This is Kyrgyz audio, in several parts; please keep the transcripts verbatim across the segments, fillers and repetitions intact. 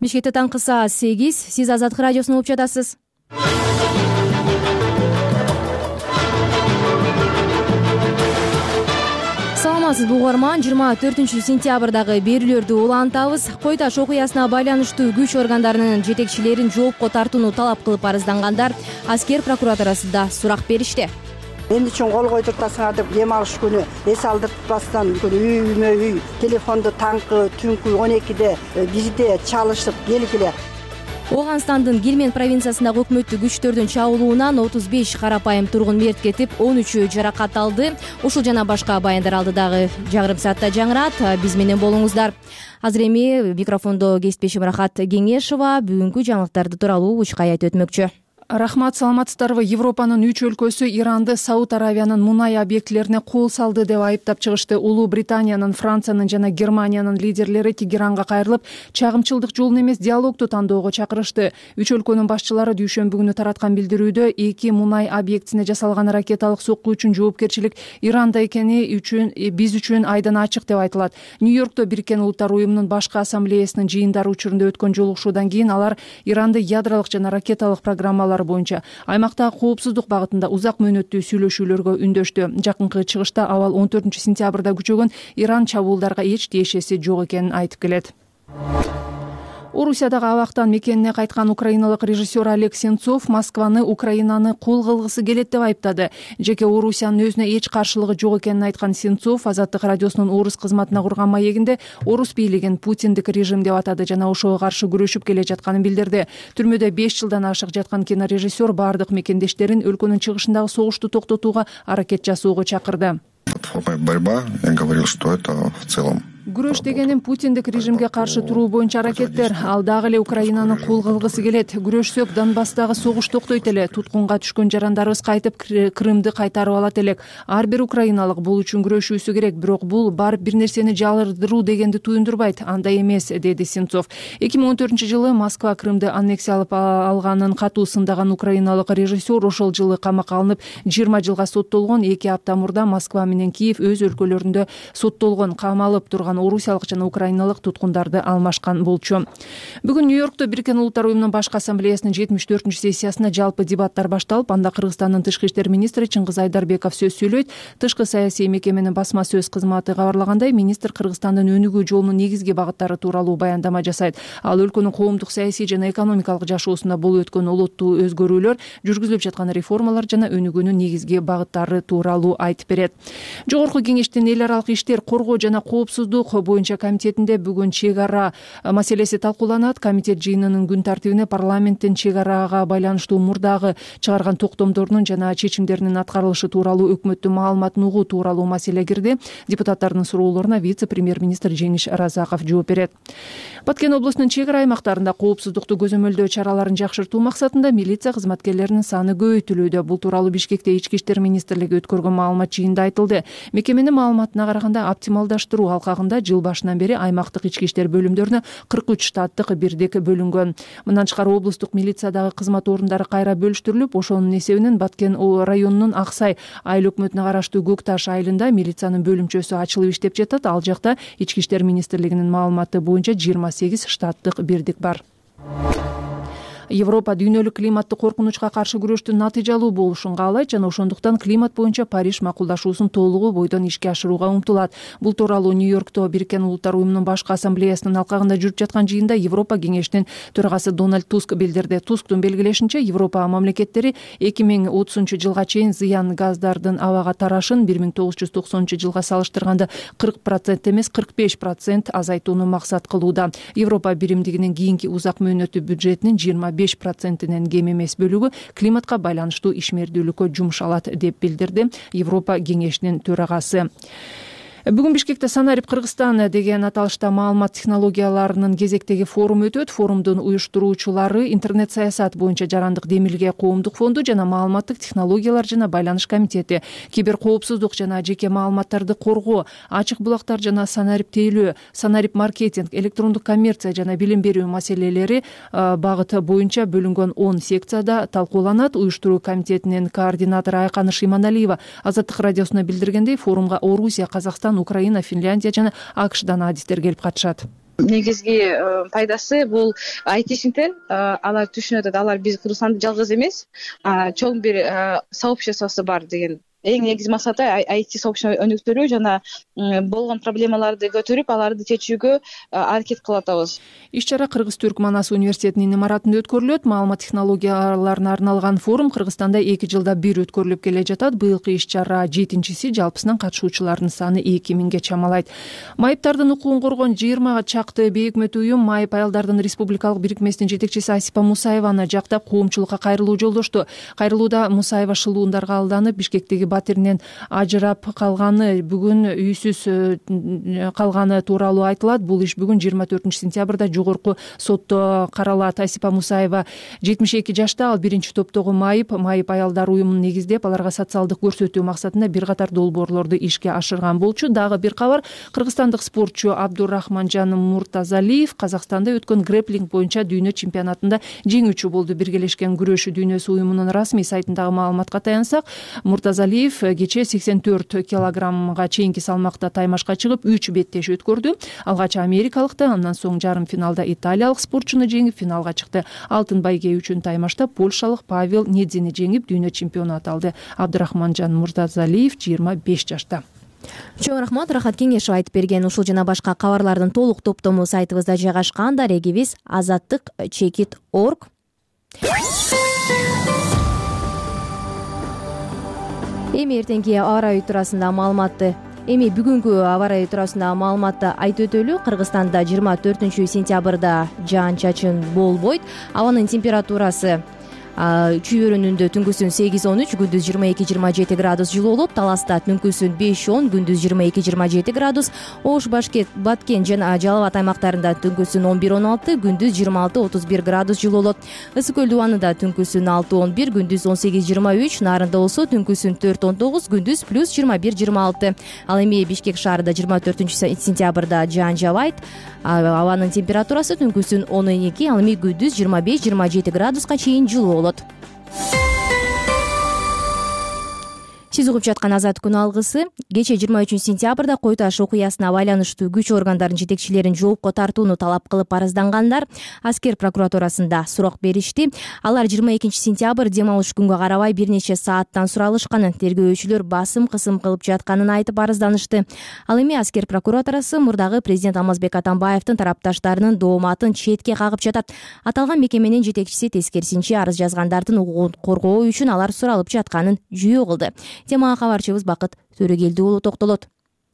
Бишкекте таңкы саат сегиз. Сиз Азаттык радиосун угуп жатасыз. Саламатсызбы угарман. жыйырма төртүнчү сентябрдагы берүүлөрдү улантабыз. Кой таш окуясына байланыштуу күч органдарынын жетекчилерин жоопко тартууну талап кылып арыздангандар аскер прокуратурасында сурак беришти. Эмне үчүн кол койдуртасыңар деп дем алыш күнү эс алдыртпастан үйүмө үй телефонду таңкы түнкү он экиде бизде чалышып келгиле. Ооганстандын Гельманд провинциясындагы өкмөттүк күчтөрдүн чабуулуунан отуз беш карапайым тургун мерт кетип, он үчөө жаракат алды. Ушул жана башка баяндар алдыдагы жарым саатта жаңырат. Биз менен болуңуздар. Азыр эми микрофондо кесиптешим Рахат Кеңешова бүгүнкү жаңылыктарды тууралуу учкай айтып өтмөкчү. Рахмат, саламатсыздарбы. Европанын үч өлкөсү Иранды Сауд Аравиянын мунай объектилерине кол салды деп айыптап чыгышты. Улуу Британиянын, Франциянын жана Германиянын лидерлери Тегеранга кайрылып, чагымчылдык жолун эмес диалогду тандоого чакырышты. Үч өлкөнүн башчылары дүйшөмбү күнү тараткан билдирүүдө эки мунай объектисине жасалган ракеталык сокку үчүн жоопкерчилик Иранда экени үчүн биз үчүн айдан ачык деп айтылат. Нью-Йоркто Бириккен Улуттар уюмунун башкы ассамблеясынын жыйындары учурунда өткөн жолугушуудан кийин алар Иранды ядролук жана ракеталык программалар боюнча аймактагы коопсуздук багытында узак мөөнөттүү сүйлөшүүлөргө үндөштү. Жакынкы чыгышта абал он төртүнчү сентябрда күчөгөн Иран чабуулдарга эч тиешеси жок экенин айтып келет. Орусиядагы абактан мекенине кайткан украиналык режиссер Олег Сенцов Москваны, Украинаны кол кылгысы келет деп айыптады. Жеке Орусиянын өзүнө эч каршылыгы жок экенин айткан Сенцов Азаттык радиосунун орус кызматына курган маегинде орус бийлигин Путиндик режим деп атады жана ошого каршы күрөшүп келе жатканын билдирди. Түрмөдө беш жылдан ашык жаткан кинорежиссер бардык мекендештерин өлкөнүн чыгышындагы согушту токтотууга аракет жасоого чакырды. Борьба, я говорил, что это в целом. Күрөш дегеним Путиндик режимге каршы туруу боюнча аракеттер. Ал дагы эле Украинаны кол кылгысы келет. Күрөшсөк Донбасстагы согуш токтойт эле. Туткунга түшкөн жарандарыбыз кайтып Крымды кайтарып алат элек. Ар бир украиналык бул үчүн күрөшүүсү керек, бирок бул барып бир нерсени жалырдыруу дегенди туюндурбайт. Андай эмес, деди Сенцов. эки миң он төртүнчү жылы Москва Крымды аннексиялап алганын катуу сындаган украиналык режиссер ошол жылы камакка алынып жыйырма жылга соттолгон. эки апта мурда Москва менен Киев өз өлкөлөрүндө соттолгон, камалып турган орусиялык жана украиналык туткундарды алмашкан болчу. Бүгүн Нью-Йоркто Бириккен Улуттар уюмунун башкы ассамблеясынын жетимиш төртүнчү сессиясында жалпы дебаттар башталып, анда Кыргызстандын тышкы иштер министри Чыңгыз Айдарбеков сөз сүйлөйт. Тышкы саясий мекеменин басма сөз кызматы кабарлагандай, министр Кыргызстандын өнүгүү жолунун негизги багыттары тууралуу баяндама жасайт. Ал өлкөнүн коомдук, саясий жана экономикалык жашоосунда болуп өткөн олоттуу өзгөрүүлөр, жүргүзүлүп жаткан реформалар жана өнүгүүнүн негизги багыттары тууралуу айтып берет. Жогорку кеңештин эл аралык иштер, коргоо жана коопсуздук боюнча комитетинде бүгүн чек ара маселеси талкууланат. Комитет жыйынынын күн тартибине парламенттин чек арага байланыштуу мурдагы чыгарган токтомдорунун жана чечимдеринин аткарылышы тууралуу өкмөттүн маалыматын угуу тууралуу маселе кирди. Депутаттардын суроолоруна вице-премьер-министр Жеңиш Разаков жооп берет. Баткен облусунун чек ара аймактарында коопсуздукту көзөмөлдөө чараларын жакшыртуу максатында милиция кызматкерлеринин саны көбөйтүлүүдө. Бул тууралуу Бишкекте Ички иштер министрлиги өткөргөн маалымат жыйынында айтылды. Мекеменин маалыматына караганда оптималдаштыруу алкагында жыл башынан бери аймактык ички иштер бөлүмдөрүнө кырк үч штаттык бирдик бөлүнгөн. Мындан тышкары облустук милициядагы кызмат орундары кайра бөлүштүрүлүп, ошонун эсебинен Баткен районунун Аксай айыл өкмөтүнө караштуу Көк Таш айылында милициянын бөлүмчөсү ачылып иштеп жатат. Ал жакта Ички иштер министрлигинин маалыматы боюнча жыйырма сегиз штаттык бирдик бар. Европа дүйнөлүк климаттык коркунучка каршы күрөштүн натыйжалуу болушун каалайт жана ошондуктан климат боюнча Париж макулдашуусун толугу бойдон ишке ашырууга умтулат. Бул тууралуу Нью-Йоркто Бириккен Улуттар уюмунун башкы ассамблеясынын алкагында жүрүп жаткан жыйында Европа кеңешинин төрагасы Дональд Туск билдирди. Тусктун белгилешинче, Европа мамлекеттери эки миң отузунчу жылга чейин зыян газдардын абага тарашын бир миң тогуз жүз токсонунчу жылга салыштырганда кырк процент эмес кырк беш процент азайтууну максат кылууда. Европа биримдигинин кийинки узак мөөнөттүү бюджетинин жыйырма беш процентинен кем эмес бөлүгү климатка байланыштуу ишмердүүлүккө жумшалат деп билдирди Европа кеңешинин төрагасы. Бүгүн Бишкекте Санарип Кыргызстан деген аталышта маалымат технологияларынын кезектеги форум өтөт. Форумдун уюштуруучулары интернет саясат боюнча жарандык демилге коомдук фонду жана маалыматтык технологиялар жана байланыш комитети, кибер коопсуздук жана жеке маалыматтарды коргоо, ачык булактар жана Санарип тейлөө, Санарип маркетинг, электрондук коммерция жана билим берүү маселелери багыты боюнча бөлүнгөн он секцияда талкууланат. Уюштуруу комитетинин координатору Айканыш Иманалиева Азаттык радиосуна билдиргендей, форумга Орусия, Казакстан, Украина, Финляндия жана АКШдан адистер келип катышат. негизги пайдасы бул айтишниктер алар түшүнүп атат, алар биз Кыргызстанда жалгыз эмес, чоң бир сообществосу бар деген. Эң негизги максаты ай ти сообществону өнүктүрүү жана болгон проблемаларды көтөрүп, аларды чечүүгө аракет кылып атабыз. Иш-чара Кыргыз-Түрк Манас университетинин имаратында өткөрүлөт. Маалымат технологияларына арналган форум Кыргызстанда эки жылда бир өткөрүлүп келе жатат. Быйылкы иш-чара жетинчиси, жалпысынан катышуучулардын саны эки миңге чамалайт. Майыптардын укугун коргон жыйырма чакты бейөкмөт уюм Майып аялдардын республикалык бирикмесинин жетекчиси Асипа Мусаеваны жактап коомчулукка кайрылуу жолдошту. Кайрылууда Мусаева шылуундарга алданып, Бишкектеги батиринен ажырап калганы, бүгүн үйсүз калганы тууралуу айтылат. Бул иш бүгүн жыйырма төртүнчү сентябрда жогорку сотто каралат. Асипа Мусаева жетимиш эки жашта, ал биринчи топтогу Майып Майып аялдар уюмун негиздеп, аларга социалдык көрсөтүү максатында бир катар долбоорлорду ишке ашырган болчу. Дагы бир кабар: кыргызстандык спортчу Абдурахманжан Муртазалиев Казакстанда өткөн грэпплинг боюнча дүйнө чемпионатында жеңүүчү болду. Биргелешкен күрөшүү дүйнөсү уюмунун расмий сайтындагы маалыматка таянсак, Муртазалиев кечээ сексен төрт килограммга чейинки салмакта таймашка чыгып, үч беттеш өткөрдү. Алгач америкалыкты, андан соң жарым финалда италиялык спортчуну жеңип, финалга чыкты. Алтын байге үчүн таймашта польшалык Павел Недзини жеңип, дүйнө чемпиону аталды. Абдурахманжан Муртазалиев жыйырма беш жашта. Чоң рахмат, Рахат Кеңешов айтып берген ушул жана башка кабарлардын толук топтому сайтыбызда жайгашкан. Дарегибиз азаттык чекит точка орг. Эми эртеңки аба ырайы туурасында маалыматты Эми бүгүнкү аба ырайы туурасында маалыматты айтып өтөлү. Кыргызстанда жыйырма төртүнчү сентябрда жаан-чачын болбойт. Абанын температурасы Чүйбөрүнүндө түнкүсүн сегиз он үч, күндүз жыйырма эки жыйырма жети градус жылуу болот. Таласта түнкүсүн беш он, күндүз жыйырма эки жыйырма жети градус. Ош, Башкент, Баткен жана Жалал Абад аймактарында түнкүсүн он бир он алты, күндүз жыйырма алты отуз бир градус жылуу болот. Ысык көл дубанында түнкүсүн алты он бир, күндүз он сегиз жыйырма үч, Нарында болсо түнкүсүн төрт он тогуз, күндүз плюс жыйырма бир жыйырма алты. Ал эми Бишкек шаарында жыйырма төртүнчү сентябрда жаан жабайт. Абанын температурасы түнкүсүн он эки, ал эми күндүз жыйырма беш жыйырма жети градуска чейин жылуу болот. Сиз угуп жаткан Азат күн алгысы. Кечээ жыйырма үчүнчү сентябрда Кой Таш окуясына байланыштуу күч органдарынын жетекчилерин жоопко тартууну талап кылып арыздангандар аскер прокуратурасында сурак беришти. Алар жыйырма экинчи сентябрь дем алыш күнгө карабай бир нече сааттан суралышканын, тергөөчүлөр басым кысым кылып жатканын айтып арызданышты. Ал эми аскер прокуратурасы мурдагы президент Алмазбек Атамбаевдин тарапташтарынын дооматын четке кагып жатат. Аталган мекеменин жетекчиси тескерисинче арыз жазгандардын укугун коргоо үчүн алар суралып жатканын жүйө кылды. Темага кабарчыбыз Бакыт Төрөгелди уулу токтолот.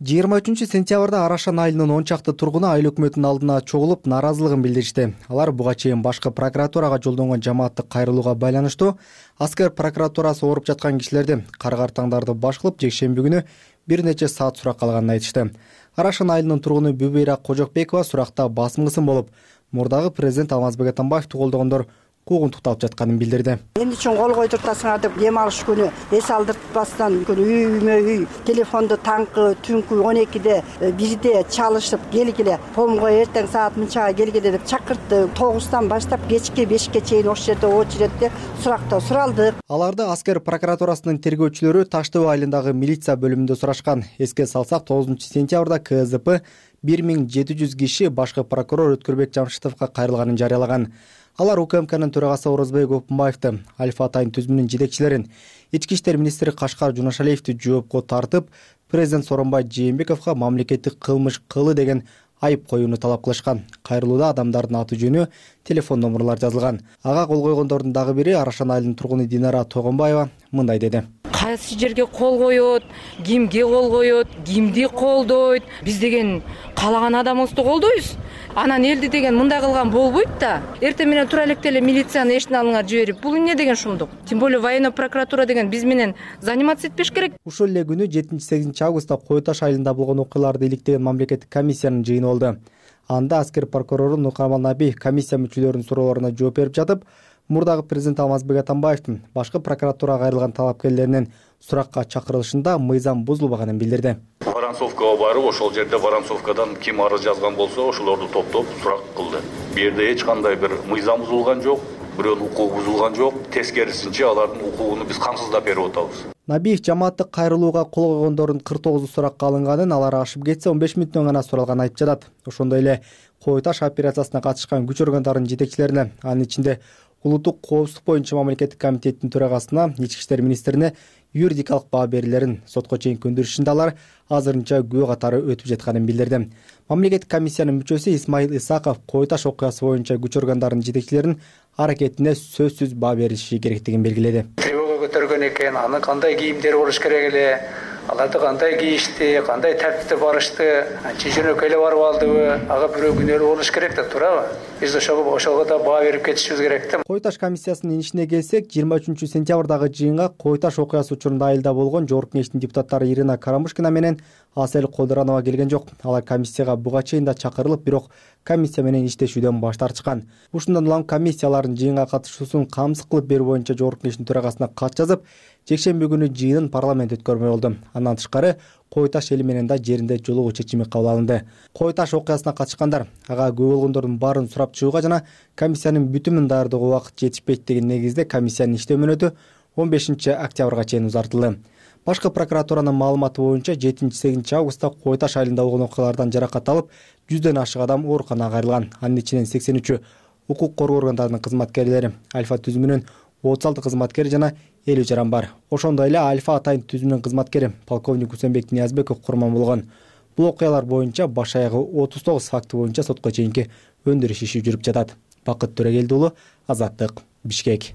жыйырма үчүнчү сентябрда Арашан айылынын он чакты тургуну айыл өкмөтүнүн алдына чогулуп нааразылыгын билдиришти. Алар буга чейин башкы прокуратурага жолдонгон жамааттык кайрылууга байланыштуу аскер прокуратурасы ооруп жаткан кишилерди кар-картаңдарды баш кылып жекшемби күнү бир нече саат суракка алганын айтышты. Арашан айылынын тургуну Бүбөйра Кожокбекова суракта басым кысым болуп, мурдагы президент Алмазбек Атамбаевди колдогондор куугунтукталып жатканын билдирди. Эмне үчүн кол койдуртасыңар деп дем алыш күнү эс алдыртпастан үймө үй телефонду таңкы түнкү он экиде бирде чалышып келгиле, помго эртең саат мынчага келгиле деп чакыртты. тогуздан баштап кечки бешке чейин ошол жерде очередде суракта суралдык. Аларды аскер прокуратурасынын тергөөчүлөрү Таш Төбө айылындагы милиция бөлүмүндө сурашкан. Эске салсак, тогузунчу сентябрда ка зэ пэ бир миң жети жүз киши башкы прокурор Өткөрбек Жамшитовго кайрылганын жарыялаган. Алар У К М Кнын төрагасы Орозбек Опунбаевди, Альфа Атайын түзүмүнүн жетекчилерин, Ички иштер министри Кашкар Жунашалиевди жоопко тартып, президент Сооронбай Жээнбековго мамлекеттик кылмыш кылы деген айып коюуну талап кылышкан. Кайрылууда адамдардын аты жөнү, телефон номерлары жазылган. Ага кол койгондордун дагы бири Арашан айылынын тургуну Динара Тогонбаева мындай деди. Кайсы жерге кол коет, кимге кол коет, кимди колдойт? Биз деген каалаган адамыбызды колдойбуз. Анан элди деген мындай кылган болбойт да. Эртең менен тура электе эле милицияны эшине алыңар жиберип, бул эмне деген шумдук? Тем более военный прокуратура деген биз менен заниматься этпеш керек. Ушул эле күнү жетинчи сегизинчи августта Кой Таш айылында болгон окуяларды иликтеген мамлекеттик комиссиянын жыйыны болду. Анда аскер прокурору Нуркамал Наби комиссия мүчөлөрүнүн суроолоруна жооп берип жатып, мурдагы президент Алмазбек Атамбаевдин башкы прокуратурага кайрылган талапкерлеринин суракка чакырылышында мыйзам бузулбаганын билдирди. Воронцовкага барып, ошол жерде Воронцовкадан ким арыз жазган болсо, ошолорду топтоп сурак кылды. Бу жерде эч кандай бир мыйзам бузулган жок, бирөөнүн укугу бузулган жок. Тескерисинче алардын укугуну биз камсыздап берип атабыз. Набиев жамааттык кайрылууга кол койгондордун кырк тогузу суракка алынганын, алар ашып кетсе он беш мүнөттөн гана суралганын айтып жатат. Ошондой эле Кой Таш операциясына катышкан күч органдарынын жетекчилерине, анын ичинде улуттук коопсуздук боюнча мамлекеттик комитеттин төрагасына, ички иштер министрине юридикалык баа берүүлөрүн сотко чейин көндүрүшүндө алар азырынча күбө катары өтүп жатканын билдирди. Мамлекеттик комиссиянын мүчөсү Исмаил Исаков Кой Таш окуясы боюнча күч органдарынын жетекчилеринин аракетине сөзсүз баа берилиши керектигин белгиледи. Тревога көтөргөн экен, аны кандай кийимдер болуш керек эле, аларды кандай кийишти, кандай тартипте барышты, чеченөккө эле барып алдыбы, ага бирөө күнөөлүү болуш керек да туурабы? Биз ошого ошого да баа берип кетишибиз керек да. Кой Таш комиссиясынын ишине келсек, жыйырма үчүнчү сентябрдагы жыйынга Кой Таш окуясы учурунда айылда болгон Жогорку Кеңештин депутаттары Ирина Карамушкина менен Асель Кодуранова келген жок. Алар комиссияга буга чейин да чакырылып, бирок комиссия менен иштешүүдөн баш тартышкан. Ушундан улам комиссиялардын жыйынга катышуусун камсыз кылып берүү боюнча Жогорку Кеңештин төрагасына кат жазып, жекшемби күнү жыйынын парламент өткөрмөй болду. Андан тышкары Кой Таш эли менен да жеринде жолугуу чечими кабыл алынды. Кой Таш окуясына катышкандар ага күбө болгондордун баарын сурап чыгууга жана комиссиянын бүтүмүн даярдоого убакыт жетишпейт деген негизде комиссиянын иштөө мөөнөтү он бешинчи октябрга чейин узартылды. Башкы прокуратуранын маалыматы боюнча жетинчи сегизинчи августта Кой Таш айылында болгон окуялардан жаракат алып, жүздөн ашык адам ооруканага кайрылган. Анын ичинен сексен үчү укук коргоо органдарынын кызматкерлери, Альфа түзүмүнүн отуз алты кызматкери жана элүү жаран бар. Ошондой эле Альфа атайын түзүмүнүн кызматкери полковник Усенбек Ниязбеков курман болгон. Бул окуялар боюнча баш аягы отуз тогуз факты боюнча сотко чейинки өндүрүш иши жүрүп жатат. Бакыт Төрөгелди уулу, Азаттык, Бишкек.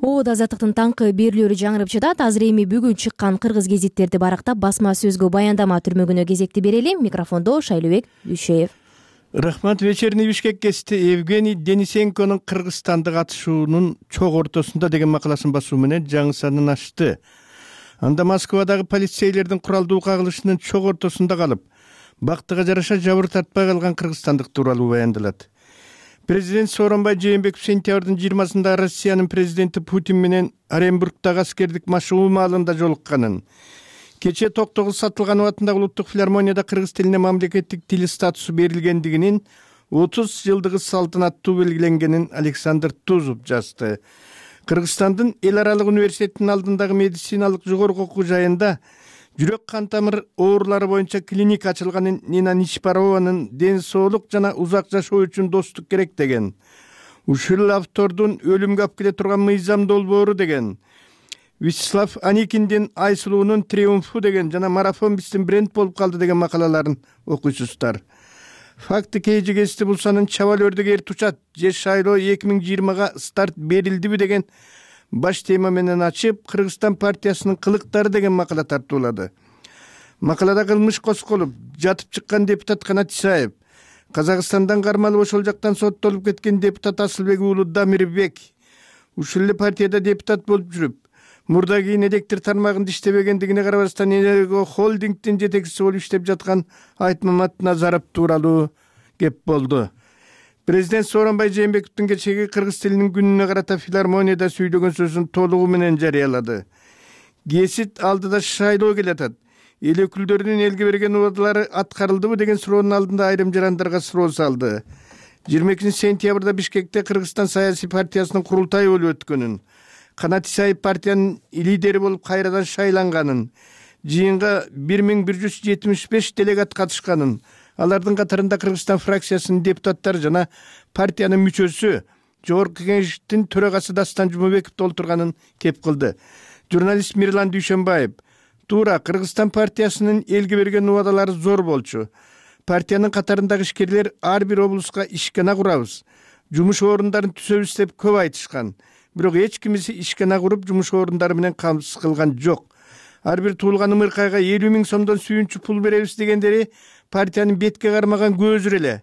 Оодо Азаттыктын таңкы берүүлөрү жаңырып жатат. Азыр эми бүгүн чыккан кыргыз гезиттерди барактап, басма сөзгө баяндама түрмөгүнө кезекти берели. Микрофондо Шайлообек Дүйшеев. Рахмат. Вечерний Бишкек гезити Евгений Денисенконун Кыргызстанда катышуунун чок ортосунда деген макаласын басуу менен жаңы санын ачты. Анда Москвадагы полицейлердин куралдуу кагылышынын чок ортосунда калып, бактыга жараша жабыр тартпай калган кыргызстандык тууралуу баяндалат. Президент Сооронбай Жээнбеков сентябрдын жыйырмасында Россиянын президенти Путин менен Оренбургдагы аскердик машыгуу маалында жолукканын, кечээ Токтогул Сатылганов атындагы улуттук филармонияда кыргыз тилине мамлекеттик тил статусу берилгендигинин отуз жылдыгы салтанаттуу белгиленгенин Александр Тузов жазды. Кыргызстандын эл аралык университетинин алдындагы медициналык жогорку окуу жайында жүрөк кан тамыр оорулары боюнча клиника ачылганын, Нина Ничпарованын ден соолук жана узак жашоо үчүн достук керек деген, ушул автордун өлүмгө алып келе турган мыйзам долбоору деген, Вячеслав Аникиндин Айсулуунун триумфу деген жана марафон биздин бренд болуп калды деген макалаларын окуйсуздар. Факты кейжи гезити Булсанын чабал өрдөгер тучат же шайлоо эки миң жыйырмага старт берилдиби деген баш тема менен ачып, Кыргызстан партиясынын кылыктары деген макала тартуулады. Макалада кылмыш косколуп жатып чыккан депутат Канат Исаев, Казакстандан кармалып ошол жактан соттолуп кеткен депутат Асылбек уулу Дамирбек, ушул эле партияда депутат болуп жүрүп, мурда кийин электр тармагында иштебегендигине карабастан Энерго холдингдин жетекчиси болуп иштеп жаткан Айтмамат Назаров тууралуу кеп болду. Президент Сооронбай Жээнбековдун кечеги кыргыз тилинин күнүнө карата филармонияда сүйлөгөн сөзүн толугу менен жарыялады. Гезит алдыда шайлоо келатат. Эл өкүлдөрүнүн элге берген убадалары аткарылдыбы деген суроонун алдында айрым жарандарга суроо салды. жыйырма экинчи сентябрда Бишкекте Кыргызстан саясий партиясынын курултайы болуп өткөнүн, Канат Исаев партиянын лидери болуп кайрадан шайланганын, жыйынга бир миң бир жүз жетимиш беш делегат катышканын, алардын катарында Кыргызстан фракциясынын депутаттары жана партиянын мүчөсү Жогорку Кеңештин төрагасы Дастан Жумабеков толтурганын кеп кылды. Журналист Мирлан Дүйшөнбаев: туура, Кыргызстан партиясынын элге берген убадалары зор болчу. Партиянын катарындагы ишкерлер ар бир облуска ишкана курабыз, жумуш орундарын түзөбүз деп көп айтышкан. Бирок эч кимиси ишкана куруп жумуш орундары менен камсыз кылган жок. Ар бир туулган ымыркайга элүү миң сомдон сүйүнчү пул беребиз дегендери партиянын бетке кармаган көзүр эле.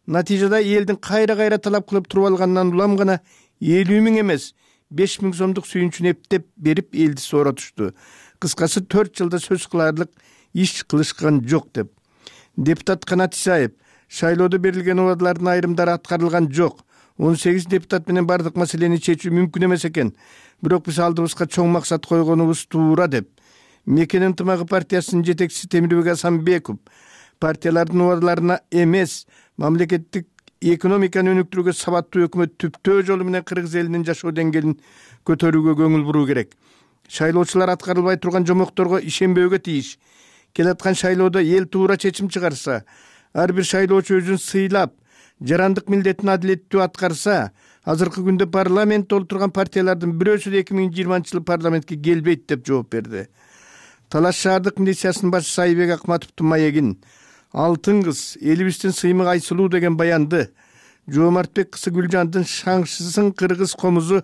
Натыйжада элдин кайра-кайра талап кылып туруп алганынан улам гана элүү миң эмес, беш миң сомдук сүйүнчүнү эптеп берип элди сооротушту. Кыскасы төрт жылда сөз кыларлык иш кылышкан жок деп. Депутат Канат Исаев: шайлоодо берилген убадалардын айрымдары аткарылган жок. он сегиз депутат менен бардык маселени чечүү мүмкүн эмес экен. Бирок биз алдыбызга чоң максат койгонубуз туура деп. Мекен ынтымагы партиясынын жетекчиси Темирбек Асанбеков партиялардын убадаларына эмес, мамлекеттик экономиканы өнүктүрүүгө сабаттуу өкмөт түптөө жолу менен кыргыз элинин жашоо деңгээлин көтөрүүгө көңүл буруу керек. Шайлоочулар аткарылбай турган жомокторго ишенбөөгө тийиш. Келаткан шайлоодо эл туура чечим чыгарса, ар бир шайлоочу өзүн сыйлап, жарандык милдетин адилеттүү аткарса, азыркы күндө парламентте отурган партиялардын бирөөсү да эки миң жыйырманчы жылы парламентке келбейт деп жооп берди. Талаш шаардык милициясынын башчысы Айбек Акматовдун маегин, Алтын кыз, элибиздин сыймык Айсулуу деген баянды, Жоомартбек кызы Гүлжандын шаңшысын кыргыз комузу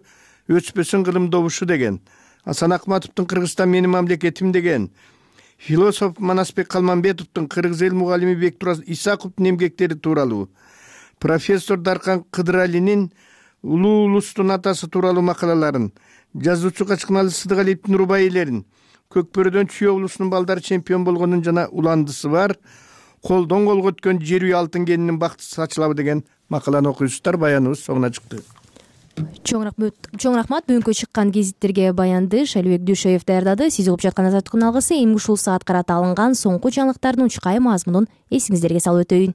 өчпөсүн кылым добушу деген, Асан Акматовдун Кыргызстан менин мамлекетим деген, философ Манасбек Калманбетовдун кыргыз эл мугалими Бектураз Исаковдун эмгектери тууралуу, профессор Даркан Кыдыралинин улуу улустун атасы тууралуу макалаларын, жазуучу Качкыналы Сыдыгалиевдин рубаилерин, Көкбөрөдөн Чүйө улусунун балдары чемпион болгонун жана уландысы бар, колдон колго өткөн жер үй алтын кенинин бакты сачылабы деген макаланы окуйсуздар. Баяныбыз соңуна чыкты. Чоң рахмат. Чоң рахмат. Бүгүнкү чыккан гезиттерге баянды Шайлыбек Дүйшөев даярдады. Сиз угуп жаткан Азаттыктын алгысы эми ушул саат карата алынган соңку жаңылыктардын учкай мазмунун эсиңиздерге салып өтөйүн.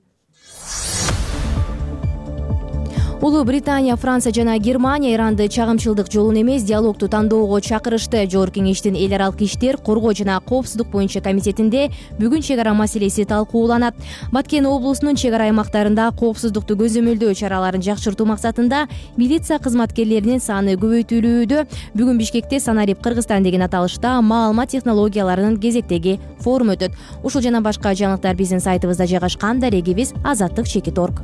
Улуу Британия, Франция жана Германия Иранды чагымчылдык жолун эмес, диалогту тандоого чакырышты. Жогорку кеңештин эл аралык иштер, коргоо жана коопсуздук боюнча комитетинде бүгүн чек ара маселеси талкууланат. Баткен облусунун чек ара аймактарында коопсуздукту көзөмөлдөө чараларын жакшыртуу максатында милиция кызматкерлеринин саны көбөйтүлүүдө. Бүгүн Бишкекте Санарип Кыргызстан деген аталышта маалымат технологияларынын кезектеги форум өтөт. Ушул жана башка жаңылыктар биздин сайтыбызда жайгашкан. Дарегибиз азаттык чекит точка орг.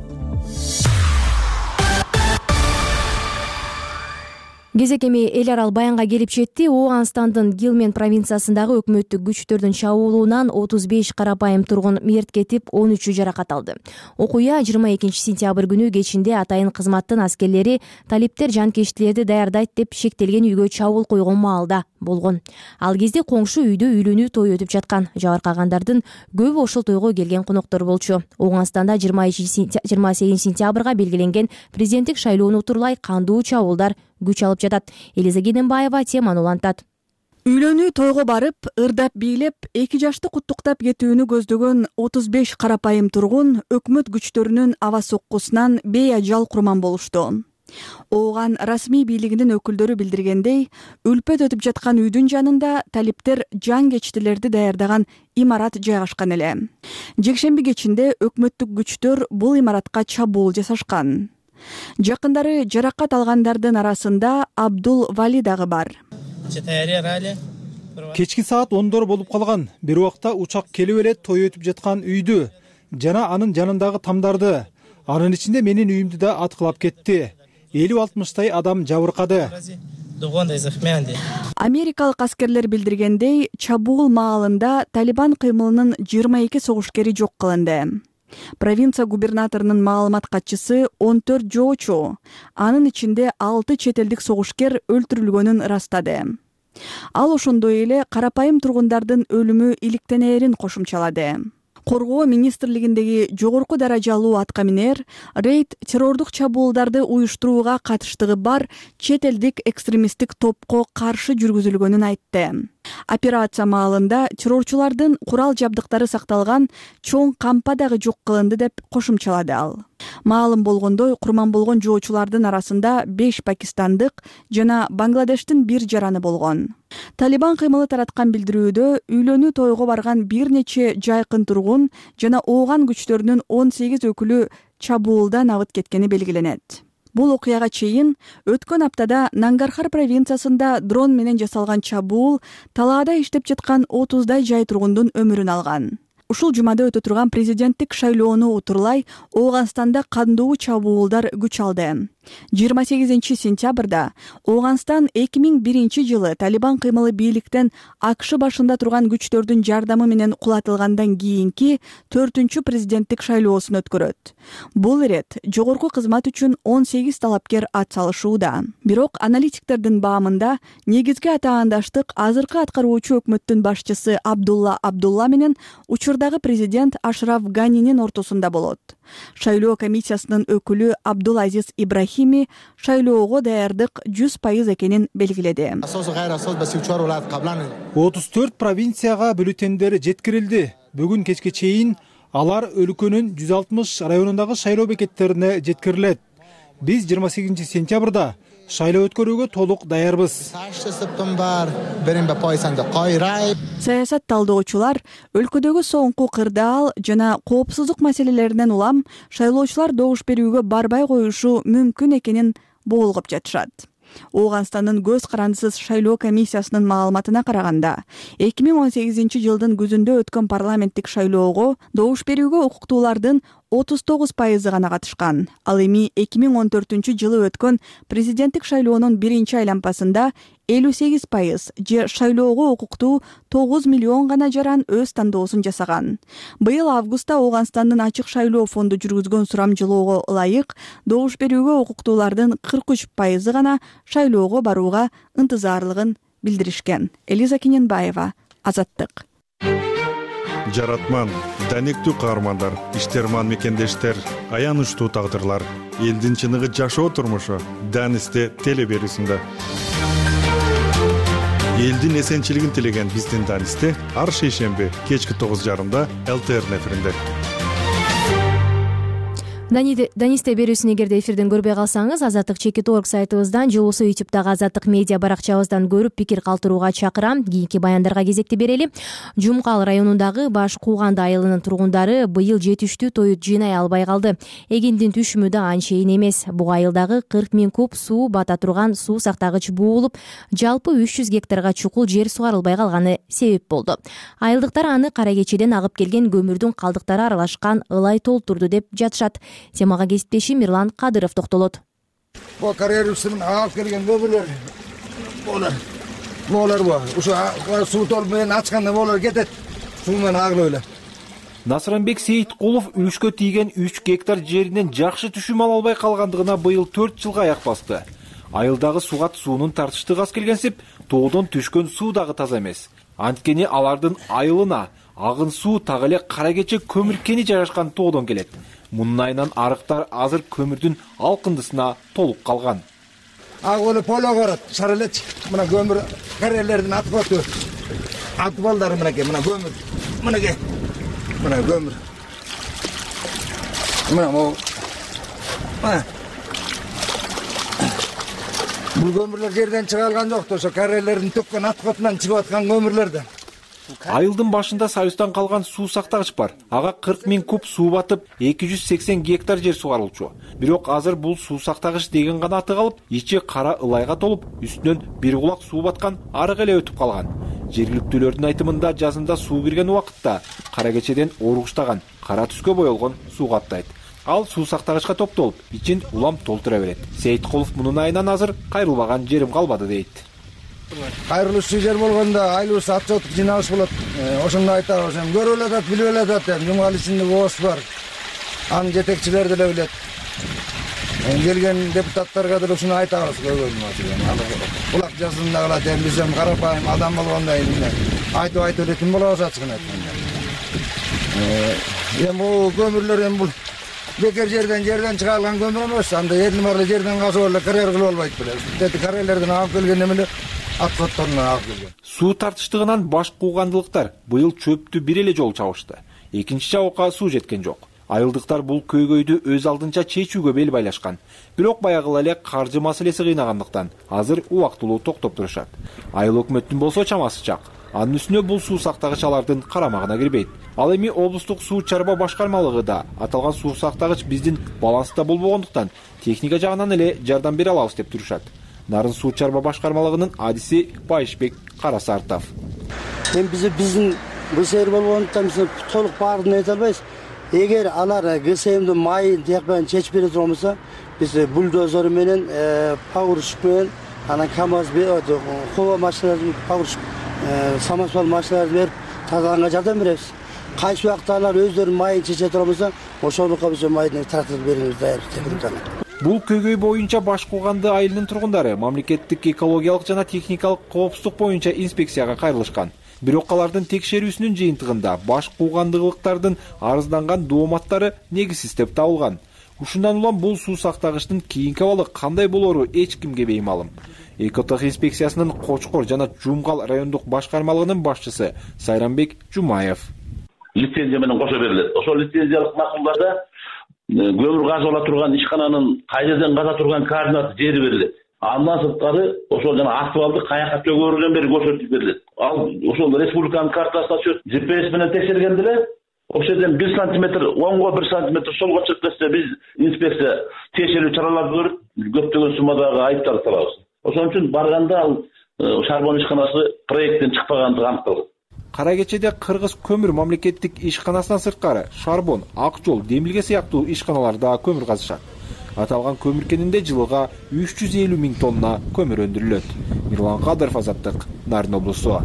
Кезек эми эл арал баянга келип жетти. Ооганстандын Гилмен провинциясындагы өкмөттүк күчтөрдүн чабуулунан отуз беш карапайым тургун мерт кетип, он үчү жаракат алды. Окуя жыйырма экинчи сентябрь күнү кечинде атайын кызматтын аскерлери талиптер жанкечтилерди даярдайт деп шектелген үйгө чабуул койгон маалда болгон. Ал кезде коңшу үйдө үйлөнүү тою өтүп жаткан. Жабыркагандардын көбү ошол тойго келген коноктор болчу. Ооганстанда жыйырма сегизинчи сентябрга белгиленген президенттик шайлоону утурлай кандуу чабуулдар күч алып жатат. Элиза Гененбаева теманы улантат. Үйлөнүү тойго барып, ырдап бийлеп, эки жашты куттуктап кетүүнү көздөгөн отуз беш карапайым тургун өкмөт күчтөрүнүн аба соккусунан бейажал курман болушту. Ооган расмий бийлигинин өкүлдөрү билдиргендей, үлпөт өтүп жаткан үйдүн жанында талиптер жанкечтилерди даярдаган имарат жайгашкан эле. Жекшемби кечинде өкмөттүк күчтөр бул имаратка чабуул жасашкан. Жакындары жаракат алгандардын арасында Абдул Вали дагы бар. Кечки саат ондор болуп калган. Бир убакта учак келип эле той өтүп жаткан үйдү жана анын жанындагы тамдарды, анын ичинде менин үйүмдү да аткылап кетти. элүү алтымыштай адам жабыркады. Америкалык аскерлер билдиргендей, чабуул маалында Талибан кыймылынын жыйырма эки согушкери жок кылынды. Провинция губернаторунун маалымат катчысы он төрт жоочу, анын ичинде алты чет элдик согушкер өлтүрүлгөнүн ырастады. Ал ошондой эле карапайым тургундардын өлүмү иликтенээрин кошумчалады. Коргоо министрлигиндеги жогорку даражалуу аткаминер рейд террордук чабуулдарды уюштурууга катыштыгы бар чет элдик экстремисттик топко каршы жүргүзүлгөнүн айтты. Операция маалында террорчулардын курал жабдыктары сакталган чоң кампа дагы жок кылынды деп кошумчалады ал. Маалым болгондой, курман болгон жоочулардын арасында беш пакистандык жана Бангладештин бир жараны болгон. Талибан кыймылы тараткан билдирүүдө үйлөнүү тойго барган бир нече жайкын тургун жана ооган күчтөрүнүн он сегиз өкүлү чабуулдан абыт кеткени белгиленет. Бул окуяга чейин өткөн аптада Нангархар провинциясында дрон менен жасалган чабуул талаада иштеп жаткан отуздай жай тургундун өмүрүн алган. Ушул жумада өтө турган президенттик шайлоону утурлай Ооганстанда кандуу чабуулдар күч алды. жыйырма сегизинчи сентябрда Ооганстан эки миң биринчи жылы Талибан кыймылы бийликтен АКШ башында турган күчтөрдүн жардамы менен кулатылгандан кийинки төртүнчү президенттик шайлоосун өткөрөт. Бул ирет жогорку кызмат үчүн он сегиз талапкер ат салышууда. Бирок аналитиктердин баамында негизги атаандаштык азыркы аткаруучу өкмөттүн башчысы Абдулла Абдулла менен учурдагы президент Ашраф Ганинин ортосунда болот. Шайлоо комиссиясынын өкүлү Абдулазиз Ибрахими шайлоого даярдык жүз пайыз экенин белгиледи. отуз төрт провинцияга бюллетендер жеткирилди. Бүгүн кечке чейин алар өлкөнүн жүз алтымыш районундагы шайлоо бекеттерине жеткирилет. Биз жыйырма сегизинчи сентябрда шайлоо өткөрүүгө толук даярбыз. Саясат талдоочулар өлкөдөгү соңку кырдаал жана коопсуздук маселелеринен улам шайлоочулар добуш берүүгө барбай коюшу мүмкүн экенин боолгоп жатышат. Ооганстандын көз карандысыз шайлоо комиссиясынын маалыматына караганда, эки миң он сегизинчи жылдын күзүндө өткөн парламенттик шайлоого добуш берүүгө укуктуулардын отуз тогуз пайызы гана катышкан. Ал эми эки миң он төртүнчү жылы өткөн президенттик шайлоонун биринчи айланпасында элүү сегиз пайыз же шайлоого укуктуу тогуз миллион гана жаран өз тандоосун жасаган. Быйыл августта Ооганстандын ачык шайлоо фонду жүргүзгөн сурамжылоого ылайык добуш берүүгө укуктуулардын кырк үч пайызы гана шайлоого барууга ынтызарлыгын билдиришкен. Элиза Кененбаева, Азаттык. Жаратман, данектүү каармандар, иштерман мекендештер, аянычтуу тагдырлар, элдин чыныгы жашоо турмушу Данисте теле берүүсүндө. Элдин эсенчилигин тилеген биздин Данисте ар шейшемби кечки тогуз жарымда эл тэ эр эфиринде. Данисте берүүсүн эгерде эфирден көрбөй калсаңыз, Азаттык чекит точка орг сайтыбыздан же болбосо ютубтагы Азаттык медиа баракчабыздан көрүп пикир калтырууга чакырам. Кийинки баяндарга кезекти берели. Жумкал районундагы Баш Кууганды айылынын тургундары быйыл жетиштүү тоют жыйнай албай калды. Эгиндин түшүмү да анчейин эмес. Буга айылдагы кырк миң куб суу бата турган суу сактагыч буулуп, жалпы үч жүз гектарга чукул жер сугарылбай калганы себеп болду. Айылдыктар аны кара кечеден агып келген көмүрдүн калдыктары аралашкан ылай толтурду деп жатышат. Темага кесиптешим Мирлан Кадыров токтолот. Бу карьерисин алып келген көмүрлөр, болар. Болар бу. Ушу суу толуп менен ачканда болар кетет. Суу менен агылып эле. Насранбек Сейиткулов үшкө тийген үч гектар жеринен жакшы түшүм ала албай калгандыгына быйыл төрт жылга аяк басты. Айылдагы сугат суунун тартыштыгы аз келгенсип, тоодон түшкөн суу дагы таза эмес. Анткени алардын айылына агын суу так эле кара кече көмүр кени жайгашкан тоодон келет. Мунун айынан арыктар азыр көмүрдүн алкындысына толуп калган. Агылы поло барат, шаралеч. Мына көмүр карьерлердин атып өтүп. Атып балдары мынакей, мына көмүр. Мынакей. Мына көмүр. Мына могу. Мына. Бул көмүрлөр жерден чыгарылган жок, ошо карьерлердин төккөн аткотунан чыгып аткан көмүрлөрдө. Айылдын башында Союздан калган суу сактагыч бар. Ага кырк миң куб суу батып, эки жүз сексен гектар жер сугарылчу. Бирок азыр бул суу сактагыч деген гана аты калып, ичи кара ылайга толуп, үстүнөн бир кулак суу баткан арык эле өтүп калган. Жергиликтүүлөрдүн айтымында жазында суу кирген убакытта кара кечеден оругуштаган, кара түскө боелгон суу каптайт. Ал суу сактагычка топтолуп, ичин улам толтура берет. Сейиткулов мунун айынан азыр кайрылбаган жерим калбады дейт. Кайрылышчу жер болгондо айлыбыз ат жотуп жыйналыш болот. Ошондо айтабыз, көрүп эле атат, билип эле атат, жумгал ичинде бооз бар. Анын жетекчилери деле билет. Келген депутаттарга деле ушуну айтабыз, көбүнчө. Кулак жазында калат, эми биз эми карапайым адам болгондо эми айтып айтып элетин болобуз ачыгын айтканда. Эми бул көмүрлөр эми бул бекер жерден жерден чыгарылган көмүр эмес. Анда эрдин барлы жерден казып эле карьер кылып албайт беле. Дети карьерлерден алып келген эмелер аткотторунан алып келген. Суу тартыштыгынан Баш Куугандылыктар быйыл чөптү бир эле жолу чабышты. Экинчи чабыкка суу жеткен жок. Айылдыктар бул көйгөйдү өз алдынча чечүүгө бел байлашкан. Бирок баягыла эле каржы маселеси кыйнагандыктан азыр убактылуу токтоп турушат. Айыл өкмөттүн болсо чамасы чак. Анын үстүнө бул суу сактагыч алардын карамагына кирбейт. Ал эми облустук суу чарба башкармалыгы да аталган суу сактагыч биздин баланста болбогондуктан техника жагынан эле жардам бере алабыз деп турушат. Нарын суу чарба башкармалыгынын адиси Байышбек Карасартов. Эми биз биздин ГСМ болгондуктан биз толук баарын айта албайбыз. Эгер алар ГСМдин майын тияк чечип бере турган болсо, биз бульдозер менен, погрузчик менен, анан КамАЗ, хова машиналарын, погрузчик, самосвал машиналарын берип тазаланга жардам беребиз. Кайсы убакта алар өздөрүнүн майын чече турган болсо, ошондукка биз майды тартып беребиз даяр деп. Бул көйгөй боюнча Баш Кууганды айылынын тургундары мамлекеттик экологиялык жана техникалык коопсуздук боюнча инспекцияга кайрылышкан. Бирок алардын текшерүүсүнүн жыйынтыгында Баш Куугандылыктардын арызданган дооматтары негизсиз деп табылган. Ушундан улам бул суу сактагычтын кийинки абалы кандай болору эч кимге беймалым. Экотех инспекциясынын Кочкор жана Жумгал райондук башкармалыгынын башчысы Сайранбек Жумаев. лицензия менен кошо берилет. Ошол лицензиялык макулдарда көмүр казып ала турган ишкананын кай жерден каза турган координаты жери берилет. Андан сырткары ошол жана асфальты каяка төгөрүлөн бери көрсөтүп берилет. Ал ошол республиканын картасына түшөт. джи пи эс менен текшергенде эле ошол жерден бир сантиметр оңго бир сантиметр солго чыгып кетсе биз инспекция тиешелүү чараларды көрүп көптөгөн суммадагы айыптарды салабыз. Ошон үчүн барганда ал шарбон ишканасы проекттен чыкпагандыгы аныкталган. Кара кечеде Кыргыз көмүр мамлекеттик ишканасынан сырткары Шарбон, Ак жол, Демилге сыяктуу ишканалар да көмүр казышат. Аталган көмүр кенинде жылыга үч жүз элүү миң тонна көмүр өндүрүлөт. Мирлан Кадыров, Азаттык, Нарын облусу.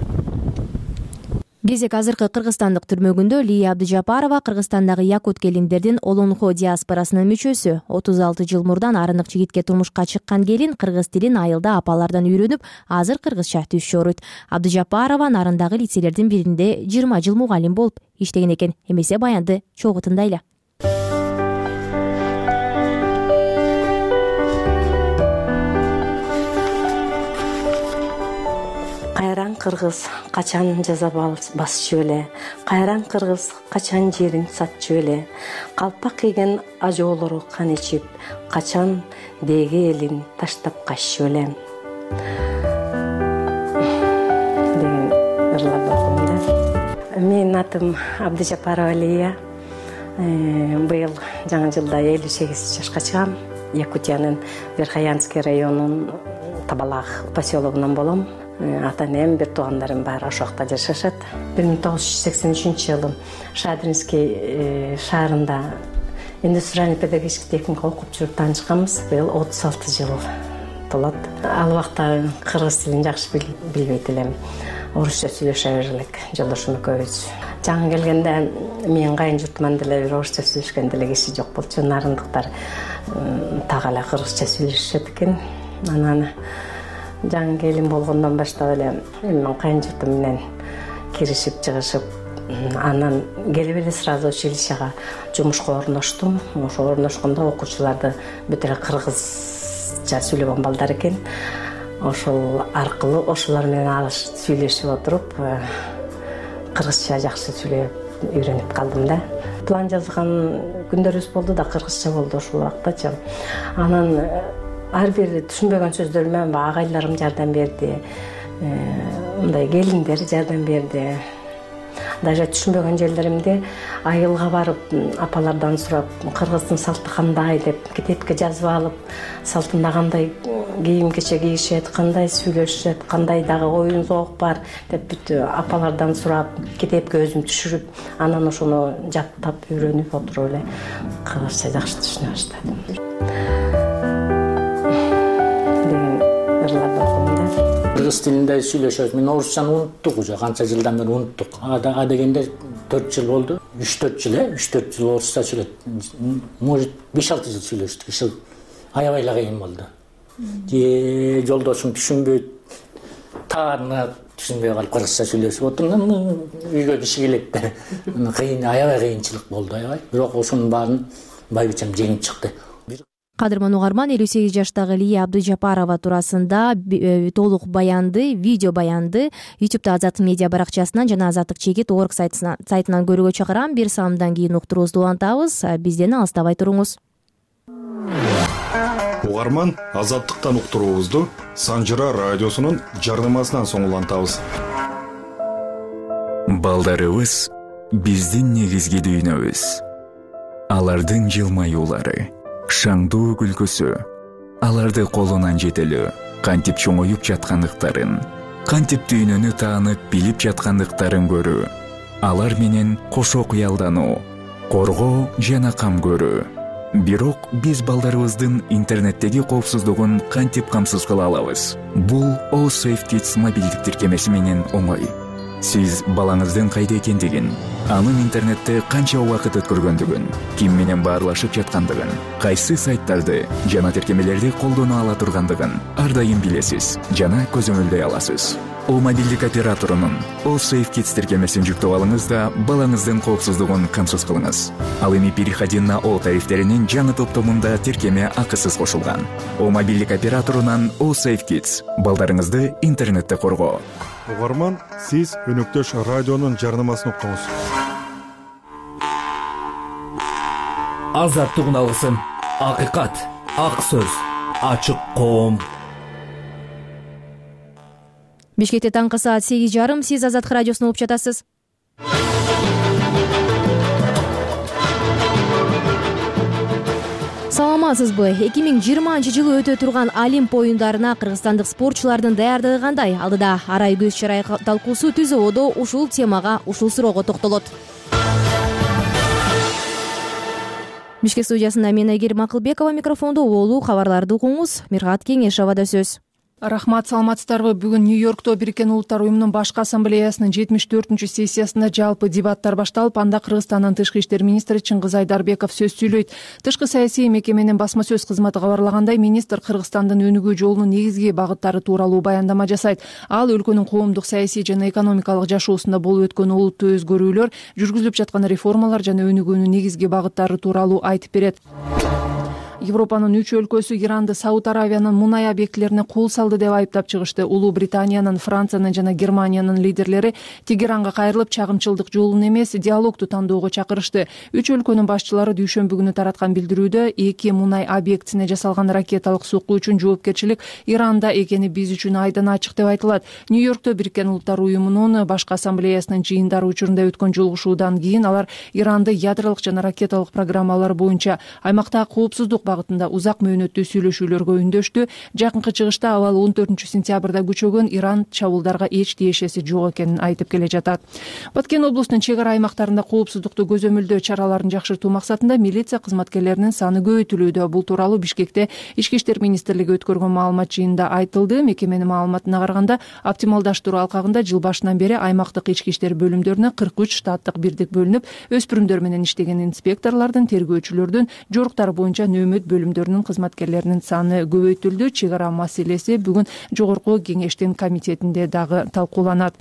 Кезек азыркы кыргызстандык түрмөгүндө Лия Абдыжапарова Кыргызстандагы якут келиндердин Олонхо диаспорасынын мүчөсү. отуз алты жыл мурдан арынык жигитке турмушка чыккан келин кыргыз тилин айылда апалардан үйрөнүп, азыр кыргызча түз өөрөйт. Абдыжапарова Нарындагы лицейлердин биринде жыйырма жыл мугалим болуп иштеген экен. Эмесе баянды чогуу тындайлы. Кайран кыргыз качан жаза басчу эле, кайран кыргыз качан жерин сатчу эле, калпак кийген ажоолору кан ичип, качан деги элин таштап каччу эле. Деген ырларды окудум да. Менин атым Абдыжапарова Лия. Быйыл жаңы жылда элүү сегиз жашка чыгам. Якутиянын Верхоянский районунун Табалак поселогунан болом. Ата-энем, бир туугандарым бар, ошол жакта жашашат. бир миң тогуз жүз сексен үчүнчү жылы Шадринский шаарында индустриальный педагогический техникум окуп жүрүп таанышканбыз. Быйыл отуз алты жыл толот. Ал убакта кыргыз тилин жакшы билбейт элем. Орусча сүйлөшө бер элек жолдошум экөөбүз. Жаңы келгенде менин кайын журтуман деле бир орусча сүйлөшкөн деле киши жок болчу. Нарындыктар так эле кыргызча сүйлөшөт экен. Анан жаңы келин болгондон баштап эле менин кайын журтум менен киришип чыгышып, анан келип эле сразу училищага жумушка орноштум. Ошо орношкондо окуучуларды бүт эле кыргызча сүйлөгөн балдар экен. Ошол аркылуу ошолор менен алышып сүйлөшүп отуруп, кыргызча жакшы сүйлөп үйрөнүп калдым да. План жазган күндөрүбүз болду да, кыргызча болду ошол убактачы. Анан ар бир түшүнбөгөн сөздөрүмө агайларым жардам берди, мындай келиндер жардам берди. Даже түшүнбөгөн жерлеримде айылга барып, апалардан сурап, кыргыздын салты кандай деп китепке жазып алып, салтында кандай кийим кече кийишет, кандай сүйлөшөт, кандай дагы оюн зоок бар деп бүт апалардан сурап, китепке өзүм түшүрүп, анан ошону жаттап үйрөнүп отуруп эле кыргызча жакшы түшүнө баштадым. Кыргыз тилинде сүйлөшөбүз. Мен орусчаны унуттук уже, канча жылдан бери унуттук. А дегенде төрт жыл болду. үч төрт жыл, э, үч төрт жыл орусча сүйлөдүк. Может, беш алты жыл сүйлөштүк. Иши аябай эле кыйын болду. Же жолдошум түшүнбөйт, таарына түшүнбөй калып кыргызча сүйлөшүп отурдум. Үйгө киши келет да. Кыйын, аябай кыйынчылык болду, аябай. Бирок ошонун баарын байбичем жеңип чыкты. Кадырман угарман, элүү сегиз жаштагы Лия Абдыжапарова туурасында толук баянды, видео баянды ютубта Азаттык медиа баракчасынан жана Азаттык чекит орг сайтынан көрүүгө чакырам. Бир саамдан кийин уктуруубузду улантабыз. Бизден алыстабай туруңуз. Угарман, Азаттыктан уктуруубузду Санжыра радиосунун жарнамасынан соң улантабыз. Балдарыбыз биздин негизги дүйнөбүз. Алардын жылмаюулары, шаңдуу күлкүсү, аларды колунан жетелөө, кантип чоңоюп жаткандыктарын, кантип дүйнөнү таанып билип жаткандыктарын көрүү, алар менен кошо кыялдануу, коргоо жана кам көрүү. Бирок биз балдарыбыздын интернеттеги коопсуздугун кантип камсыз кыла алабыз? Бул All Safe Kids мобилдик тиркемеси менен оңой. Сиз балаңыздын кайда экендигин, анын интернетте канча убакыт өткөргөндүгүн, ким менен баарлашып жаткандыгын, кайсы сайттарды жана тиркемелерди колдоно ала тургандыгын ар дайым билесиз жана көзөмөлдөй аласыз. О мобилдик операторунун All Safe Kids тиркемесин жүктөп алыңыз да балаңыздын коопсуздугун камсыз кылыңыз. Ал эми переходи на О тарифтеринин жаңы топтомунда тиркеме акысыз кошулган. О мобилдик операторунан All Safe Kids балдарыңызды интернетте коргоо. Угарман, сиз өнөктөш радионун жарнамасын уктуңуз. азаттыгын алгысың. Акыйкат, ак сөз, ачык коом. Бишкекте таңкы саат сегиз жарым. Сиз Азаттык радиосун угуп жатасыз. Саламатсызбы? эки миң жыйырманчы жылы өтө турган Олимп оюндарына кыргызстандык спортчулардын даярдыгы кандай? Алдыда арай көз чарай талкуусу түз ободо ушул темага, ушул суроого токтолот. Бишкек студиясында мен Айгерим Акылбекова, микрофондо улуу кабарларды угуңуз. Миргат Кеңешова да сөз. Рахмат, саламатсыздарбы? Бүгүн Нью-Йоркто Бириккен Улуттар уюмунун башкы ассамблеясынын жетимиш төртүнчү сессиясында жалпы дебаттар башталып, анда Кыргызстандын тышкы иштер министри Чыңгыз Айдарбеков сөз сүйлөйт. Тышкы саясий мекеменин басма сөз кызматы кабарлагандай, министр Кыргызстандын өнүгүү жолунун негизги багыттары тууралуу баяндама жасайт. Ал өлкөнүн коомдук, саясий жана экономикалык жашоосунда болуп өткөн олуттуу өзгөрүүлөр, жүргүзүлүп жаткан реформалар жана өнүгүүнүн негизги багыттары тууралуу айтып берет. Европанын үч өлкөсү Иранды Сауд Аравиянын мунай объектилерине кол салды деп айыптап чыгышты. Улуу Британиянын, Франциянын жана Германиянын лидерлери Тегеранга кайрылып, чагымчылдык жолун эмес, диалогду тандоого чакырышты. Үч өлкөнүн башчылары дүйшөмбү күнү тараткан билдирүүдө эки мунай объектисине жасалган ракеталык сокку үчүн жоопкерчилик Иранда экени биз үчүн айдан ачык деп айтылат. Нью-Йоркто Бириккен Улуттар уюмунун башкы ассамблеясынын жыйындары учурунда өткөн жолугушуудан кийин алар Иранды ядролук жана ракеталык программалар боюнча аймактагы коопсуздук багытында узак мөөнөттүү сүйлөшүүлөргө үндөштү. Жакынкы чыгышта абал он төртүнчү сентябрда күчөгөн Иран чабуулдарга эч тиешеси жок экенин айтып келе жатат. Баткен облусунун чек ара аймактарында коопсуздукту көзөмөлдөө чараларын жакшыртуу максатында милиция кызматкерлеринин саны көбөйтүлүүдө. Бул тууралуу Бишкекте Ички иштер министрлиги өткөргөн маалымат жыйынында айтылды. Мекеменин маалыматына караганда, оптималдаштыруу алкагында жыл башынан бери аймактык ички иштер бөлүмдөрүнө кырк үч штаттык бирдик бөлүнүп, өспүрүмдөр менен иштеген инспекторлордун, тергөөчүлөрдүн, жоруктар боюнча нөөмөт бөлүмдөрүнүн кызматкерлеринин саны көбөйтүлдү. Чек ара маселеси бүгүн жогорку кеңештин комитетинде дагы талкууланат.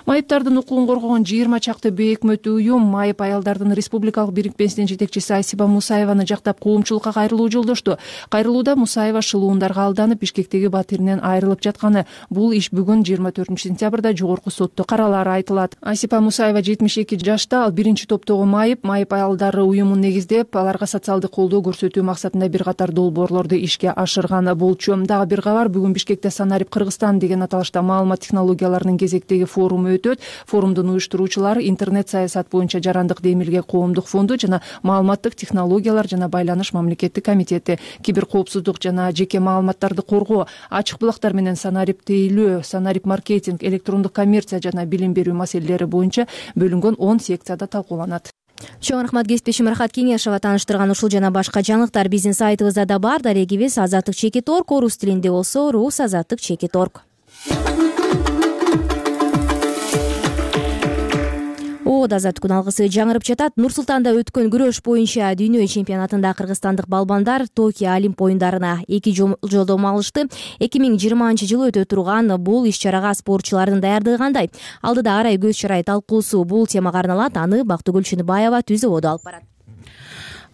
Майыптардын укугун коргогон жыйырма чакты бейөкмөт уюм майып аялдардын республикалык бирикмесинин жетекчиси Айсипа Мусаеваны жактап коомчулукка кайрылуу жолдошту. Кайрылууда Мусаева шылуундарга алданып, Бишкектеги батиринен айрылып жатканы. Бул иш бүгүн жыйырма төртүнчү сентябрда жогорку сотто каралары айтылат. Айсипа Мусаева жетимиш эки жашта, ал биринчи топтогу майып, майып аялдары уюмун негиздеп, аларга социалдык колдоо көрсөтүү максатында бир катар долбоорлорду ишке ашырган болчу. Дагы бир кабар, бүгүн Бишкекте Санарип Кыргызстан деген аталышта маалымат технологияларынын кезектеги форуму өтөт. Форумдун уюштуруучулары интернет саясат боюнча жарандык демилге коомдук фонду жана маалыматтык технологиялар жана байланыш мамлекеттик комитети, киберкоопсуздук жана жеке маалыматтарды коргоо, ачык булактар менен Санарип тейлөө, Санарип маркетинг, электрондук коммерция жана билим берүү маселелери боюнча бөлүнгөн он секцияда талкууланат. Чоң рахмат кесиптешим Рахат Кеңешова тааныштырган ушул жана башка жаңылыктар биздин сайтыбызда да бар. Дарегибиз азаттык чекит точка орг, орус тилинде болсо рус азаттык чекит точка орг. О, азаттык күн алгысы жаңырып жатат. Нур Султанда өткөн күрөш боюнча дүйнө чемпионатында кыргызстандык балбандар Токио Олимп оюндарына эки жолдомо алышты. эки миң жыйырманчы жылы өтө турган бул иш-чарага спортчулардын даярдыгы кандай? Алдыда арай көз чарай талкуусу бул темага арналат. Аны Бактыгүл Чыныбаева түз ободо алып барат.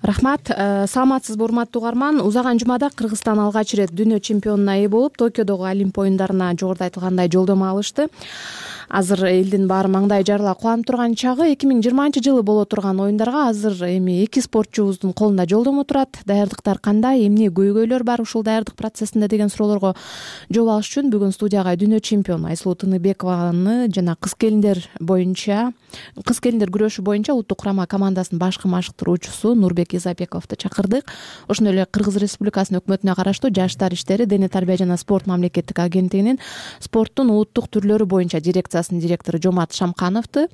Рахмат, саламатсызбы урматтуу угарман? Узаган жумада Кыргызстан алгач ирет дүйнө чемпионуна ээ болуп, Токиодогу Олимп оюндарына жогоруда айтылгандай жолдомо алышты. Азыр элдин баары маңдай жарыла кубанып турган чагы. эки миң жыйырманчы жылы боло турган оюндарга азыр эми эки спортчубуздун колунда жолдомо турат. Даярдыктар кандай, эмне көйгөйлөр бар ушул даярдык процессинде деген суроолорго жооп алыш үчүн бүгүн студияга дүйнө чемпиону Айсулуу Тыныбекованы жана кыз келиндер боюнча, кыз келиндер күрөшү боюнча улуттук курама командасынын башкы машыктыруучусу Нурбек Изабековду чакырдык. Ошондой эле Кыргыз Республикасынын өкмөтүнө караштуу Жаштар иштери, дене тарбия жана спорт мамлекеттик агенттигинин спорттун улуттук түрлөрү боюнча дирекция директору Жомарт Шамкановду,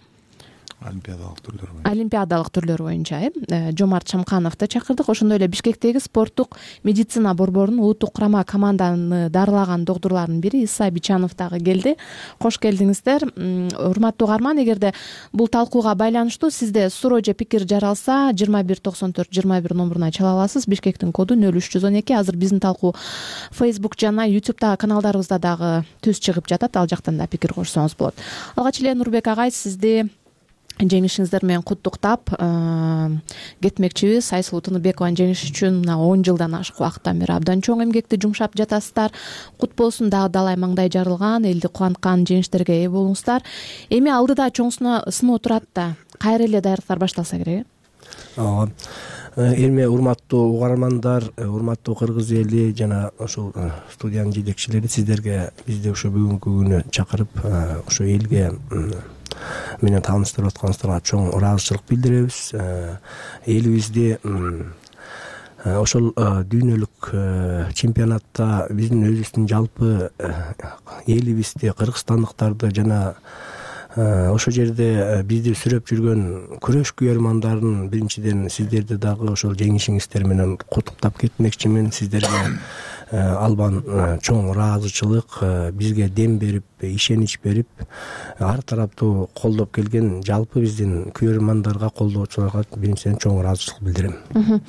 олимпиадалык түрлөр боюнча олимпиадалык түрлөр боюнча э Жомарт Шамкановду чакырдык. Ошондой эле Бишкектеги спорттук медицина борборунун улуттук курама команданы дарылаган доктурлардын бири Иса Бичанов дагы келди. Кош келдиңиздер. Урматтуу угарман, эгерде бул талкууга байланыштуу сизде суроо же пикир жаралса, жыйырма бир токсон төрт жыйырма бир номуруна чала аласыз. Бишкектин коду нөл үч жүз он эки. Азыр биздин талкуу Facebook жана YouTube'дагы каналдарыбызда дагы түз чыгып жатат. Ал жактан да пикир кошсоңуз болот. Алгач эле Нурбек агай, сизди жеңишиңиздер менен куттуктап кетмекчибиз. Айсулуу Тыныбекованын жеңиши үчүн мына он жылдан ашык убакыттан бери абдан чоң эмгекти жумшап жатасыздар. Кут болсун, дагы далай маңдай жарылган, элди кубанткан жеңиштерге ээ болуңуздар. Эми алдыда чоң сыноо турат да, кайра эле даярдыктар башталса керек. Ооба. Эми урматтуу угармандар, урматтуу кыргыз эли жана ошол студиянын жетекчилери, сиздерге бизди ошо бүгүнкү күнү чакырып ошо элге менен тааныштырып атканыңыздарга чоң ыраазычылык билдиребиз. Элибизди ошол дүйнөлүк чемпионатта биздин өзүбүздүн жалпы элибизди, кыргызстандыктарды жана ошол жерде бизди сүрөп жүргөн күрөш күйөрмандарын биринчиден сиздерди дагы ошол жеңишиңиздер менен куттуктап кетмекчимин. Сиздерге албан чоң ыраазычылык, бизге дем берип, ишенич берип, ар тараптуу колдоп келген жалпы биздин күйөрмандарга, колдоочуларга биринчиден чоң ыраазычылык билдирем.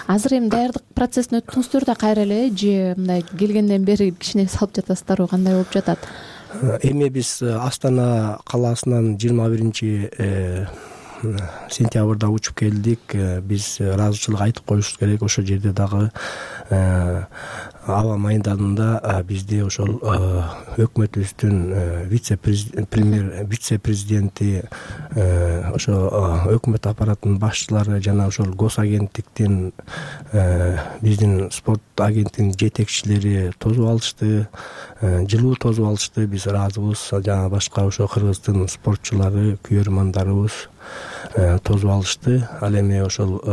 Азыр эми даярдык процессине өттүңүздөр да кайра эле же мындай келгенден бери кичине салып жатасыздарбы, кандай болуп жатат? Эми биз Астана калаасынан жыйырма биринчи сентябрда учуп келдик. Биз ыраазычылык айтып коюшубуз керек. Ошол жерде дагы аба майданында бизди ошол өкмөтүбүздүн вице-премьер, вице-президенти, ошо өкмөт аппаратынын башчылары жана ошол госагенттиктин, биздин спорт агенттигинин жетекчилери тосуп алышты, жылуу тосуп алышты. Биз ыраазыбыз. Жана башка ошо кыргыздын спортчулары, күйөрмандарыбыз тосуп алышты. Ал эми ошол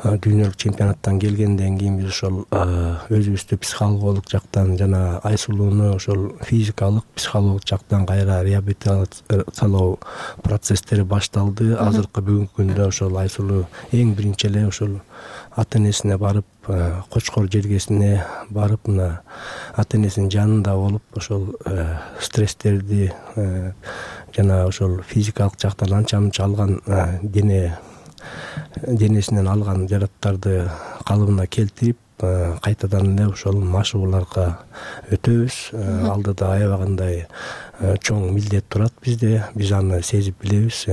дүйнөлүк чемпионаттан келгенден кийин биз ошол өзүбүздү психологиялык жактан жана Айсулууну ошол физикалык, психологиялык жактан кайра реабилитациялоо процесстери башталды. Азыркы бүгүнкү күндө ошол Айсулуу эң биринчи эле ошол ата энесине барып, Кочкор жергесине барып, мына ата энесинин жанында болуп, ошол стресстерди жана ошол физикалык жактан анча мынча алган дене денесинен алган жараттарды калыбына келтирип, кайтадан эле ошол машыгууларга өтөбүз. Алдыда аябагандай чоң милдет турат бизде. Биз аны сезип билебиз.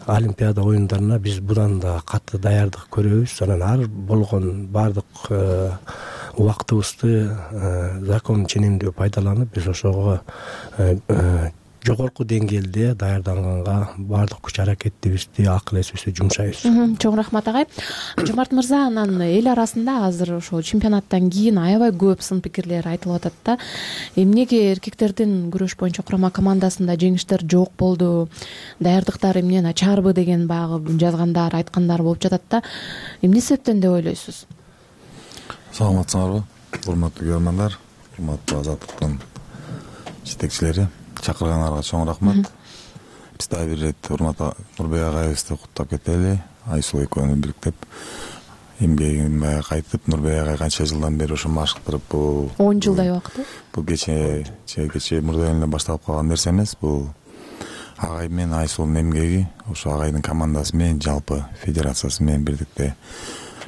Олимпиада оюндарына биз будан да катуу даярдык көрөбүз. Анан ар болгон баардык убактыбызды закон ченемдүү пайдаланып, биз ошого жогорку деңгээлде даярданганга баардык күч аракетибизди, акыл эсибизди жумшайбыз. Чоң рахмат агай. Жомарт мырза, анан эл арасында азыр ошо чемпионаттан кийин аябай көп сын пикирлер айтылып атат да. Эмнеге эркектердин күрөш боюнча курама командасында жеңиштер жок болду, даярдыктар эмне начарбы деген баягы жазгандар, айткандар болуп жатат да. Эмне себептен деп ойлойсуз? Саламатсыңарбы, урматтуу көрөрмандар, урматтуу Азаттыктын жетекчилери. Чакыргандарга чоң рахмат. Биз дагы бир ирет урматтуу Нурбек агайыбызды куттуктап кетели. Айсулуу экөөнү бириктеп эмгегин баягы кайтып, Нурбек агай канча жылдан бери ошо машыктырып, бул он жылдай убакыт. Бул кече кече мурда эле башталып калган нерсе эмес. Бул агай менен Айсулуунун эмгеги, ошо агайдын командасы менен, жалпы федерациясы менен бирдикте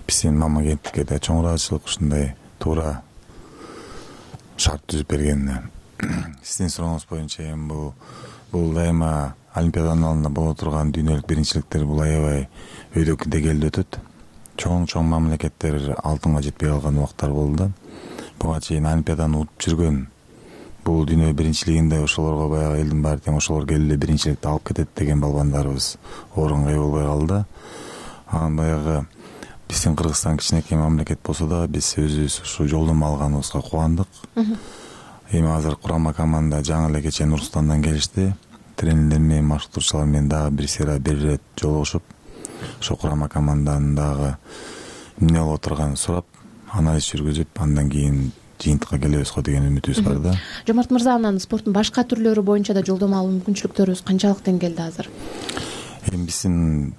биздин мамагенттикке да чоң ыраазычылык ушундай туура шарт түзүп бергенине. Сиздин сурооңуз боюнча эми бул бул дайыма Олимпиаданын алдында боло турган дүйнөлүк биринчиликтер бул аябай өйдөк дегелде өтөт. Чоң-чоң мамлекеттер алтынга жетпей калган убактар болду да. Буга чейин Олимпиаданы утуп жүргөн бул дүйнө биринчилигинде ошолорго баягы элдин баары тең ошолор келип эле биринчиликти алып кетет деген балбандарыбыз орунга ээ болбой калды. Анан баягы биздин Кыргызстан кичинекей мамлекет болсо да, биз өзүбүз ушу жолдомо алганыбызга кубандык. Эми азыр курама команда жаңы эле кечээ Нурсултандан келишти. Тренерлер менен, машыктыруучулар менен дагы бир сыйра бир ирет жолугушуп, ошо курама команданын дагы эмне болуп отурганын сурап, анализ жүргүзүп, андан кийин жыйынтыкка келебиз го деген үмүтүбүз бар да. Жомарт мырза, анан спорттун башка түрлөрү боюнча да жолдомо алуу мүмкүнчүлүктөрүбүз канчалык деңгээлде азыр? Эми биздин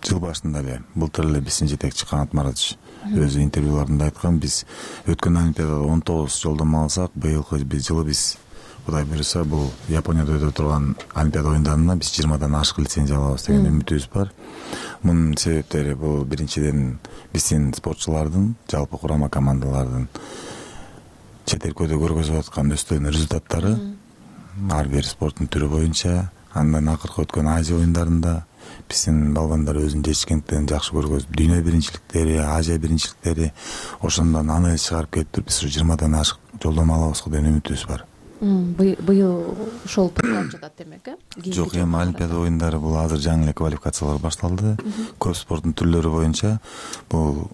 жыл башында эле, былтыр эле биздин жетекчи Канат Маратович өзү интервьюларында айткан, биз өткөн Олимпиадада он тогуз жолдомо алсак, быйылкы жылы биз Кудай буюрса бул Японияда өтүп турган Олимпиада оюндарына биз жыйырмадан ашык лицензия алабыз деген үмүтүбүз бар. Мунун себептери бул биринчиден биздин спортчулардын, жалпы курама командалардын чет өлкөдө көргөзүп аткан өстөн результаттары ар бир спорттун түрү боюнча, андан акыркы өткөн Азия оюндарында биздин балбандар өзүнүн жетишкендиктерин жакшы көргөзүп, дүйнө биринчиликтери, Азия биринчиликтери, ошондон анализ чыгарып келип туруп, биз жыйырмадан ашык жолдомо алабыз деген үмүтүбүз бар. быйыл ошол тууралып жатат демек э жок, эми Олимпиада оюндары бул азыр жаңы эле квалификациялар башталды. Көп спорттун түрлөрү боюнча бул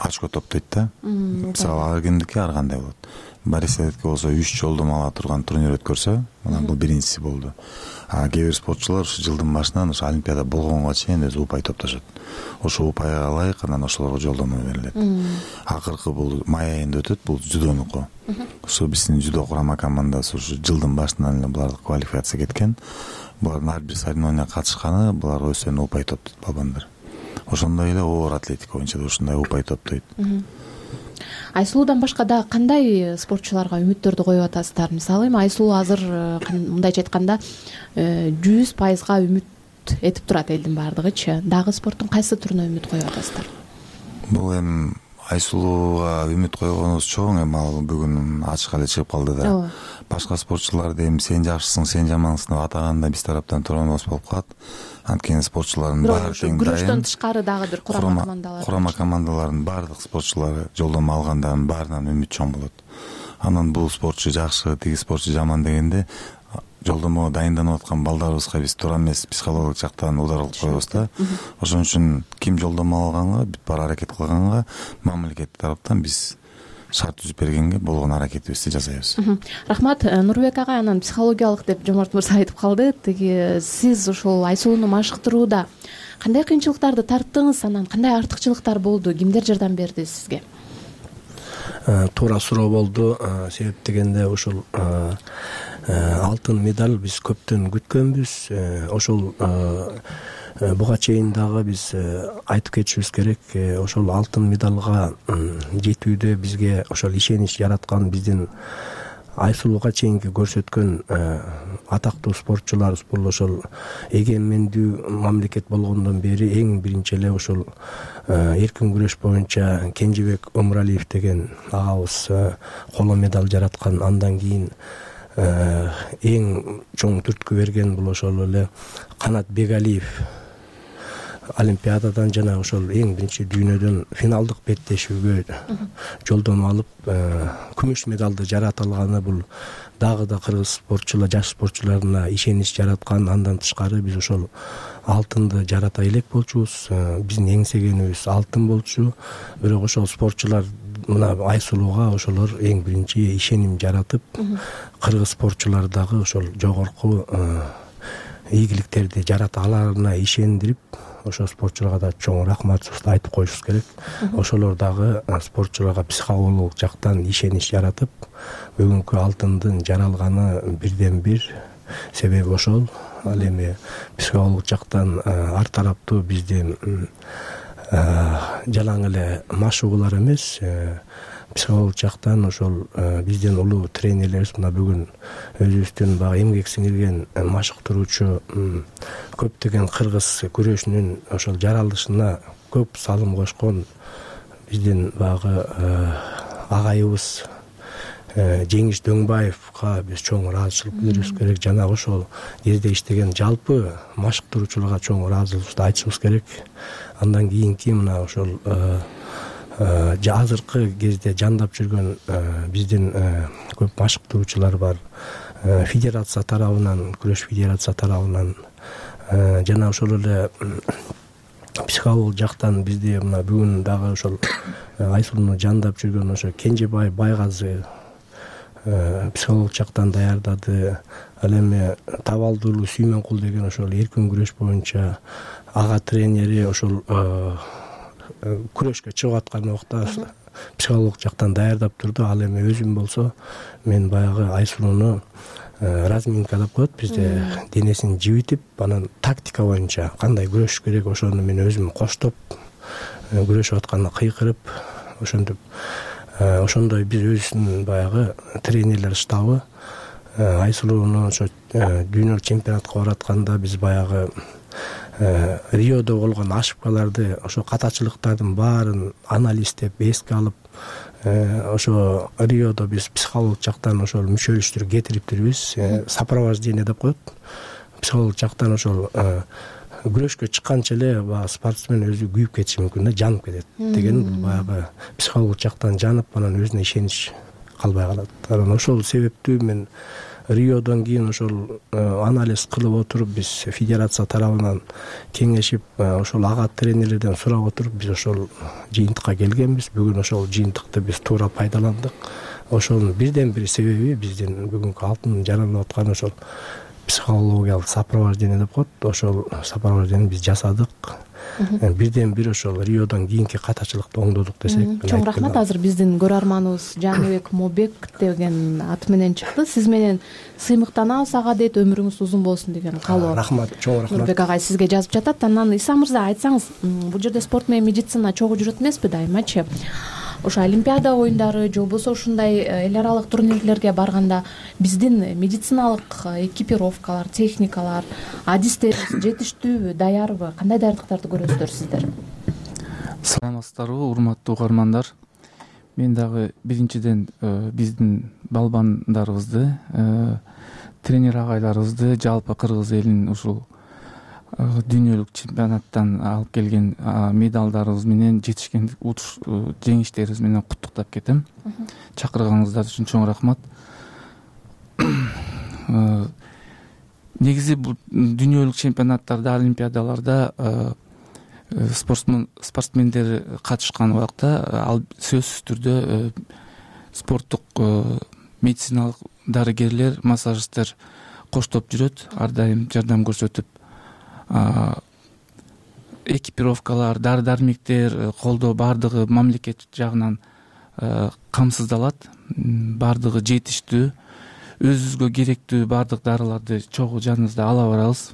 очко топтойт да. Мисалы ар кимдики ар кандай болот. Борисовдики болсо үч жолдомо ала турган турнир өткөрсө, мына бул биринчиси болду. А кээ бир спортчулар ушу жылдын башынан ушу Олимпиада болгонго чейин өзү упай топтошот. Ошо упайга ылайык анан ошолорго жолдомо берилет. Акыркы бул май айында өтөт, бул дзюдонуку. Ошо биздин дзюдо курама командасы ушу жылдын башынан эле булар квалификация кеткен. Булардын ар бир соревнованияга катышканы, булар өздөрүнө упай топтойт балбандар. Ошондой эле оор атлетика боюнча да ушундай упай топтойт. Айсулуудан башка да кандай спортчуларга үмүттөрдү коюп атасыздар? Мисалы эми Айсулуу азыр мындайча айтканда жүз пайызга үмүт этип турат элдин баардыгычы. Дагы спорттун кайсы түрүнө үмүт коюп атасыздар? Бул эми Айсулууга үмүт койгонубуз чоң, эми ал бүгүн ачык эле чыгып калды да. Башка спортчуларды эми сен жакшысың, сен жамансың деп атаганда биз тараптан туурабыз болуп калат. Анткени спортчулардын баары тең дайын. Күрөштөн тышкары дагы бир курама командалар. Курама командалардын баардык спортчулары жолдомо алгандардын баарынан үмүт чоң болот. Анан бул спортчу жакшы, тиги спортчу жаман дегенде жолдомого дайынданып аткан балдарыбызга биз туура эмес психологиялык жактан удар кылып коебуз да. Ошон үчүн ким жолдомо алганга, бүт бара аракет кылганга мамлекет тараптан биз шарт түзүп бергенге болгон аракетибизди жасайбыз. Рахмат. Нурбек ага анан психологиялык деп Жомарт мырза айтып калды. Тиги сиз ошол Айсулууну машыктырууда кандай кыйынчылыктарды тарттыңыз, анан кандай артыкчылыктар болду, кимдер жардам берди сизге? Туура суроо болду. Себеп дегенде ошол алтын медаль биз көптөн күткөнбүз. Ошол буга чейин дагы биз айтып кетишибиз керек. Ошол алтын медалга жетүүдө бизге ошол ишенич жараткан биздин Айсулууга чейинки көрсөткөн атактуу спортчулар, бул ошол эгемендүү мамлекет болгондон бери эң биринчи эле ошол эркин күрөш боюнча Кенжебек Өмүралиев деген агабыз коло медаль жараткан. Андан кийин эң чоң түрткү берген бул ошол эле Канат Бегалиев Олимпиададан жана ошол эң биринчи дүйнөдөн финалдык беттешүүгө жолдомо алып күмүш медалды жарата алганы бул дагы да кыргыз спортчулар, жаш спортчуларына ишенич жараткан. Андан тышкары биз ошол алтынды жарата элек болчубуз. Биздин эңсегенибиз алтын болчу. Бирок ошол спортчулар мына Айсулууга ошолор эң биринчи ишеним жаратып, кыргыз спортчулар дагы ошол жогорку ийгиликтерди жарата аларына ишендирип, ошол спортчуларга да чоң рахматыбызды айтып коюшубуз керек. Ошолор дагы спортчуларга психологиялык жактан ишенич жаратып, бүгүнкү алтындын жаралганы бирден бир себеби ошол. Ал эми психологиялык жактан ар тараптуу бизде жалаң эле машыгуулар эмес, психологиялык жактан ошол биздин улуу тренерлерибиз мына бүгүн өзүбүздүн баягы эмгек сиңирген машыктыруучу көптөгөн кыргыз күрөшүнүн ошол жаралышына көп салым кошкон биздин баягы агайыбыз Жеңиш Дөңбаевга биз чоң ыраазычылык билдирибиз керек. Жана ошол кезде иштеген жалпы машыктыруучуларга чоң ыраазычылыгыбызды айтышыбыз керек. Андан кийинки мына ошол азыркы кезде жандап жүргөн биздин көп машыктыруучулар бар. Федерация тарабынан, күрөш федерация тарабынан жана ошол эле психологиялык жактан бизде мына бүгүн дагы ошол Айсулууну жандап жүргөн ошо Кенжебай Байгазы психологиялык жактан даярдады. Ал эми Табалдуулуу Сүймөнкул деген ошол эркин күрөш боюнча ага тренери ошол күрөшкө чыгып аткан убакта психологиялык жактан даярдап турду. Ал эми өзүм болсо мен баягы Айсулууну разминка деп коет бизде, денесин жибитип, анан тактика боюнча кандай күрөшүш керек ошону мен өзүм коштоп күрөшүп атканда кыйкырып ошентип ошондой биз өзүбүздүн баягы тренерлер штабы Айсулууну ошо дүйнөлүк чемпионатка баратканда биз баягы Риодо болгон ошибкаларды, ошо катачылыктардын баарын анализдеп, эске алып, ошо Риодо биз психологиялык жактан ошол мүчөлүштүрүп кетириптирбиз. Сопровождение деп коет. Психологиялык жактан ошол күрөшкө чыкканча эле баягы спортсмен өзү күйүп кетиши мүмкүн да, жанып кетет деген баягы психологиялык жактан жанып, анан өзүнө ишенич калбай калат. Анан ошол себептүү мен Риодон кийин ошол анализ кылып отуруп биз федерация тарабынан кеңешип ошол ага тренерлерден сурап отуруп биз ошол жыйынтыкка келгенбиз. Бүгүн ошол жыйынтыкты биз туура пайдаландык. Ошонун бирден бир себеби биздин бүгүнкү алтын жаралып аткан ошол психологиялык сопровождение деп коет. Ошол сопровождениени биз жасадык. Бирден бир ошол Риодон кийинки катачылыкты оңдодук десек. Чоң рахмат. Азыр биздин көрөрманыбыз Жаныбек Мобек деген ат менен чыкты. Сиз менен сыймыктанабыз ага дейт, өмүрүңүз узун болсун деген каалоо. Рахмат, чоң рахмат. Нурбек агай сизге жазып жатат. Анан Иса мырза, айтсаңыз, бул жерде спорт менен медицина чогуу жүрөт эмеспи дайымачы? Ошо Олимпиада оюндары же болбосо ушундай эл аралык турнирлерге барганда биздин медициналык экипировкалар, техникалар, адистерибиз жетиштүүбү, даярбы? Кандай даярдыктарды көрөсүздөр сиздер? Саламатсыздарбы, урматтуу угармандар. Мен дагы биринчиден биздин балбандарыбызды, тренер агайларыбызды, жалпы кыргыз элин ушул дүйнөлүк чемпионаттан алып келген медалдарыбыз менен, жетишкен жеңиштерибиз менен куттуктап кетем. Чакырганыңыздар үчүн чоң рахмат. Негизи бул дүйнөлүк чемпионаттарда, олимпиадаларда спортсмендер катышкан убакта ал сөзсүз түрдө спорттук медициналык дарыгерлер, массажисттер коштоп жүрөт, ар дайым жардам көрсөтүп, экипировкалар, дары-дармектер, колдоо баардыгы мамлекет жагынан камсыздалат. Баардыгы жетиштүү, өзүбүзгө керектүү баардык дарыларды чогуу жаныбызда ала барабыз.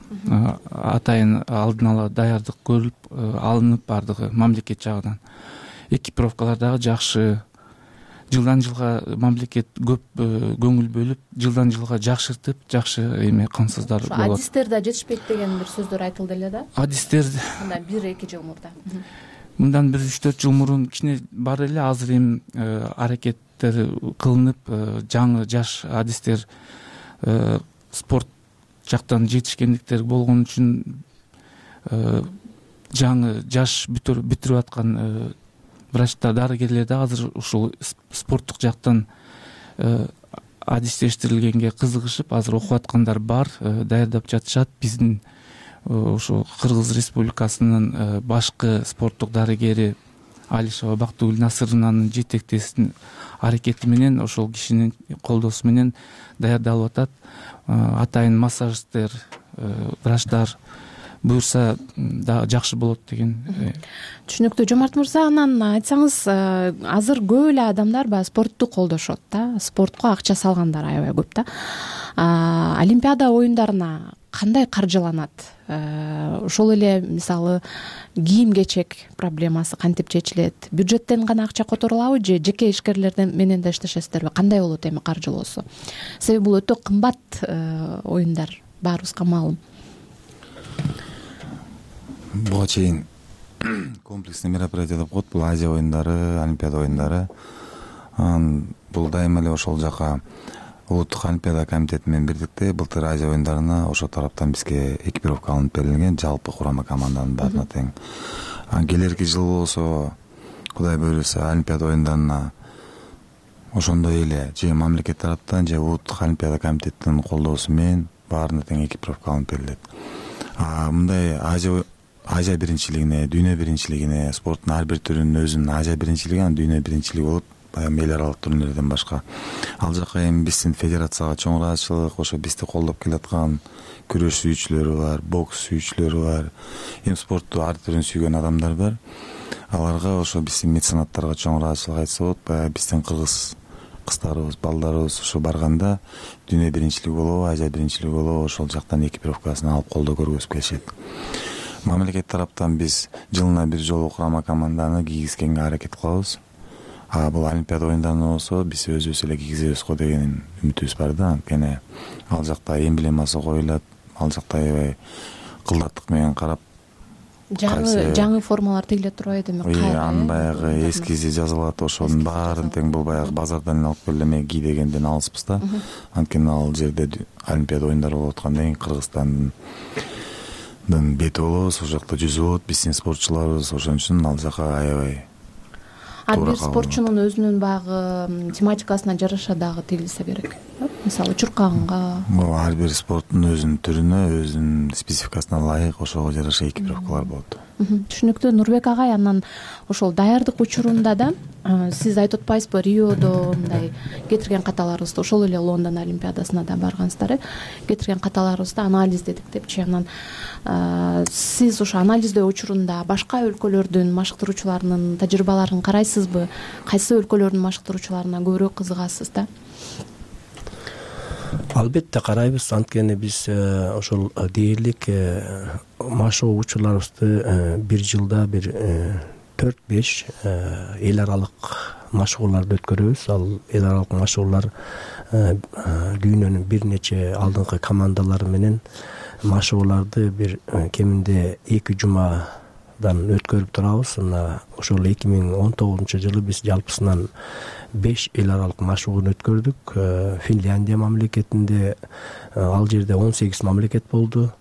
Атайын алдын ала даярдык көрүлүп алынып, баардыгы мамлекет жагынан. Экипировкалар дагы жакшы. Жылдан жылга мамлекет көп көңүл бөлүп, жылдан жылга жакшыртып, жакшы эме камсыздар болот. Адистер да жетишпейт деген бир сөздөр айтылды эле да. Адистер мындан бир эки жыл мурда. Мындан бир үч төрт жыл мурун кичине бар эле, азыр эми аракеттер кылынып, жаңы жаш адистер спорт жактан жетишкендиктер болгон үчүн жаңы жаш бүтүрүп аткан врачтар, дарыгерлер да азыр ушул спорттук жактан адистештирилгенге кызыгышып, азыр окуп аткандар бар, даярдап жатышат. Биздин ошо Кыргыз Республикасынын башкы спорттук дарыгери Алишева Бактыгүл Насырованын жетектесин аракети менен, ошол кишинин колдоосу менен даярдалып атат. Атайын массажисттер, врачтар буюрса да жакшы болот деген. Түшүнүктүү. Жомарт мырза, анан айтсаңыз, азыр көп эле адамдар баягы спортту колдошот да, спортко акча салгандар аябай көп да. Олимпиада оюндарына кандай каржыланат? Ошол эле мисалы кийим-кечек проблемасы кантип чечилет? Бюджеттен гана акча которулабы же жеке ишкерлерден менен да иштешесиздерби? Кандай болот эми каржылоосу? Себеби бул өтө кымбат оюндар, баарыбызга маалым. Буга чейин комплексный мероприятие деп коет, бул Азия оюндары, Олимпиада оюндары. Бул дайыма эле ошол жака улуттук Олимпиада комитети менен бирдикте былтыр Азия оюндарына ошол тараптан бизге экипировка алынып берилген, жалпы курама команданын баарына тең. Келерки жыл болсо, Кудай буйруса, Олимпиада оюндарына ошондой эле же мамлекет тараптан же улуттук Олимпиада комитетинин колдоосу менен баарына тең экипировка алынып берилет. Мындай Азия Азия биринчилигине, дүйнө биринчилигине, спорттун ар бир түрүнүн өзүнүн Азия биринчилиги, анан дүйнө биринчилиги болуп, баягы эл аралык турнирлерден башка. Ал жака эми биздин федерацияга чоң ыраазычылык, ошо бизди колдоп келаткан күрөш сүйүүчүлөрү бар, бокс сүйүүчүлөрү бар, эми спортту ар түрүн сүйгөн адамдар бар. Аларга ошо биздин меценаттарга чоң ыраазычылык айтса болот. Баягы биздин кыргыз кыздарыбыз, балдарыбыз ошо барганда дүйнө биринчилиги болобу, Азия биринчилиги болобу, ошол жактан экипировкасын алып колдоо көргөзүп келишет. Мамлекет тараптан биз жылына бир жолу курама команданы кийгизгенге аракет кылабыз. А бул Олимпиада оюндарында болсо биз өзүбүз эле кийгизебиз го деген үмүтүбүз бар да. Анткени ал жакта эмблемасы коюлат, ал жакта аябай кылдаттык менен карап, жаңы жаңы формалар тигиле турбайбы эми? Ой, анын баягы эскизи жазылат, ошонун баарын тең бул баягы базардан алып келип эме ки дегенден алыспыз да. Анткени ал жерде Олимпиада оюндары болуп атканда эң Кыргызстандын бети болобуз, ошол жакта жүзүп болот биздин спортчуларыбыз, ошон үчүн ал жака аябай ар бир спортчунун өзүнүн баягы тематикасына жараша дагы тегилсе керек. Мисалы чуркаганга ар бир спорттун өзүнүн түрүнө, өзүнүн спецификасына ылайык ошого жараша экипировкалар болот. Түшүнүктүү. Нурбек агай, анан ошол даярдык учурунда да сиз айтып атпайсызбы, Риодо мындай кетирген каталарыбызды, ошол эле Лондон Олимпиадасына да баргансыздар, кетирген каталарыбызды анализдедик депчи. Анан сиз ошо анализдөө учурунда башка өлкөлөрдүн машыктыруучуларынын тажрыйбаларын карайсызбы? Кайсы өлкөлөрдүн машыктыруучуларына көбүрөөк кызыгасыз да? Албетте карайбыз. Анткени биз ошол дээрлик машыгуу учурларыбызды бир жылда бир төрт беш эл аралык машыгууларды өткөрөбүз. Ал эл аралык машыгуулар дүйнөнүн бир нече алдыңкы командалары менен машыгууларды бир кеминде эки жумадан өткөрүп турабыз. Мына ошол эки миң он тогузунчу жылы биз жалпысынан беш эл аралык машыгууну өткөрдүк. Финляндия мамлекетинде, ал жерде он сегиз мамлекет болду.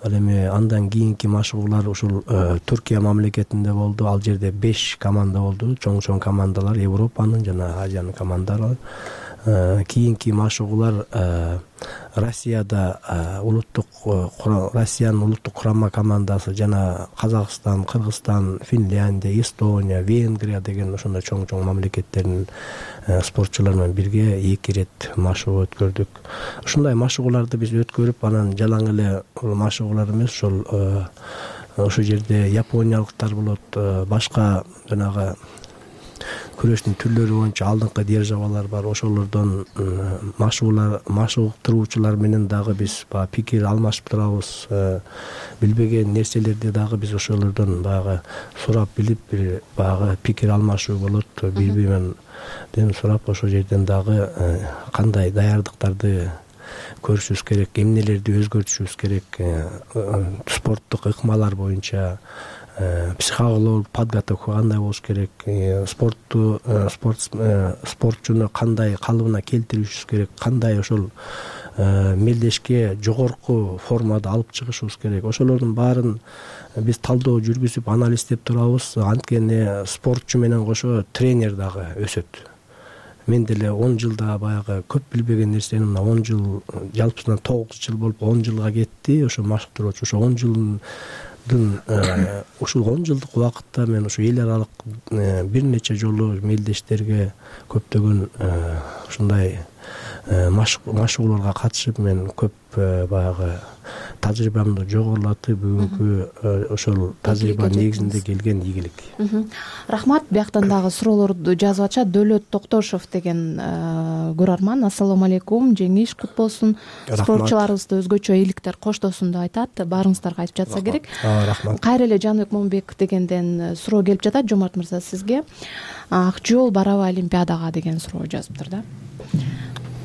Ал эми андан кийинки машыгуулар ушул Түркия мамлекетинде болду. Ал жерде беш команда болду. Чоң-чоң командалар, Европанын жана Азиянын командалары. Кийинки машыгуулар Россияда улуттук Россиянын улуттук курама командасы жана Казакстан, Кыргызстан, Финляндия, Эстония, Венгрия деген ошондой чоң-чоң мамлекеттердин спортчулары менен бирге эки ирет машыгуу өткөрдүк. Ушундай машыгууларды биз өткөрүп, анан жалаң эле машыгуулар эмес, ошол ошол жерде япониялыктар болот, башка жанагы күрөштүн түрлөрү боюнча алдыңкы державалар бар. Ошолордон машыгуулар, машыгуулар менен дагы биз баягы пикир алмашып турабыз. Билбеген нерселерди дагы биз ошолордон баягы сурап билип, бир баягы пикир алмашуу болот. Бири-бири менен сурап, ошол жерден дагы кандай даярдыктарды көрүшүбүз керек, эмнелерди өзгөртүшүбүз керек, спорттук ыкмалар боюнча психологиялык подготовка кандай болуш керек, спортту спортчуну кандай калыбына келтиришибиз керек, кандай ошол мелдешке жогорку формада алып чыгышыбыз керек. Ошолордун баарын биз талдоо жүргүзүп, анализдеп турабыз. Анткени спортчу менен кошо тренер дагы өсөт. Мен деле он жылда баягы көп билбеген нерсени мына он жыл, жалпысынан тогуз жыл болуп он жылга кетти. Ошо машыктыруучу ошо он жылдын ушул он жылдык убакытта мен ушу эл аралык бир нече жолу мелдештерге көптөгөн ушундай машыгууларга катышып, мен көп баягы тажрыйбамды жогорулатып, бүгүнкү ошол тажрыйба негизинде келген ийгилик. Рахмат. Бияктан дагы суроолорду жазып атышат. Дөөлөт Токтошов деген көрөрман: ассалому алейкум, жеңиш кут болсун, спортчуларыбызды өзгөчө ийгиликтер коштосун деп айтат. Баарыңыздарга айтып жатса керек. Рахмат. Кайра эле Жаныбек Момбеков дегенден суроо келип жатат. Жомарт мырза, сизге ак жол барабы Олимпиадага деген суроо жазыптыр да.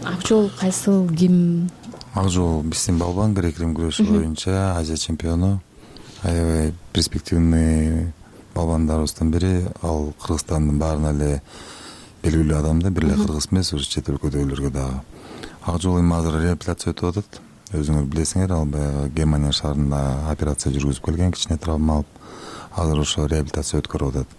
Ак жол кайсыл, ким? Ак жол биздин балбан грек-рим күрөшү боюнча Азия чемпиону, аябай перспективный балбандарыбыздын бири. Ал Кыргызстандын баарына эле белгилүү адам да, бир эле кыргыз эмес, ушу чет өлкөдөгүлөргө дагы. Ак жол эми азыр реабилитация өтүп атат. Өзүңөр билесиңер, ал баягы Германия шаарында операция жүргүзүп келген, кичине травма алып, азыр ошо реабилитация өткөрүп атат.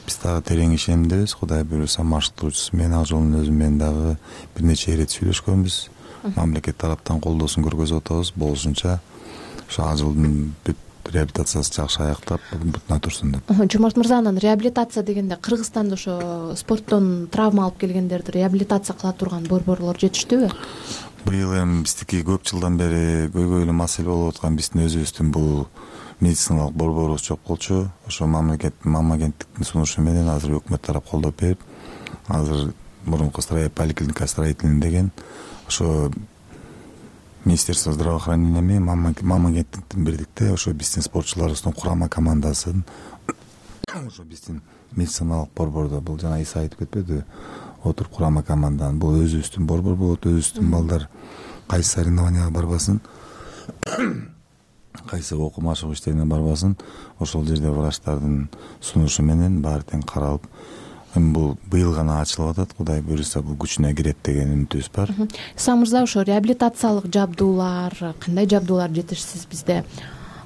Биз дагы терең ишенимдебиз. Кудай буюрса, машыктыруучусу менен, ак жолдун өзү менен дагы бир нече ирет сүйлөшкөнбүз. Мамлекет тараптан колдоосун көргөзүп атабыз. Болушунча ошо ак жолдун бүт реабилитациясы жакшы аяктап, бутуна турсун деп. Жомарт мырза, анан реабилитация дегенде Кыргызстанда ошо спорттон травма алып келгендерди реабилитация кыла турган борборлор жетиштүүбү? Быйыл эми биздики көп жылдан бери көйгөйлүү эле маселе болуп аткан биздин өзүбүздүн бул медициналык борборубуз жок болчу. Ошо мамлекет мамлекеттиктин сунушу менен азыр өкмөт тарап колдоп берип, азыр мурунку поликлиника строительный деген ошо Министерство здравоохранения менен мамлекеттиктин бирдикте ошо биздин спортчуларыбыздын курама командасын ошо биздин медициналык борбордо, бул жана Иса айтып кетпедиби, отуруп курама команданын, бул өзүбүздүн борбор болот, өзүбүздүн балдар кайсы соревнованияга барбасын, кайсы окуу машыгуу иштерине барбасын, ошол жерде врачтардын сунушу менен баары тең каралып, эми бул быйыл гана ачылып атат. Кудай буюрса, бул күчүнө кирет деген үмүтүбүз бар. Иса мырза, ошо реабилитациялык жабдуулар, кандай жабдуулар жетишсиз бизде?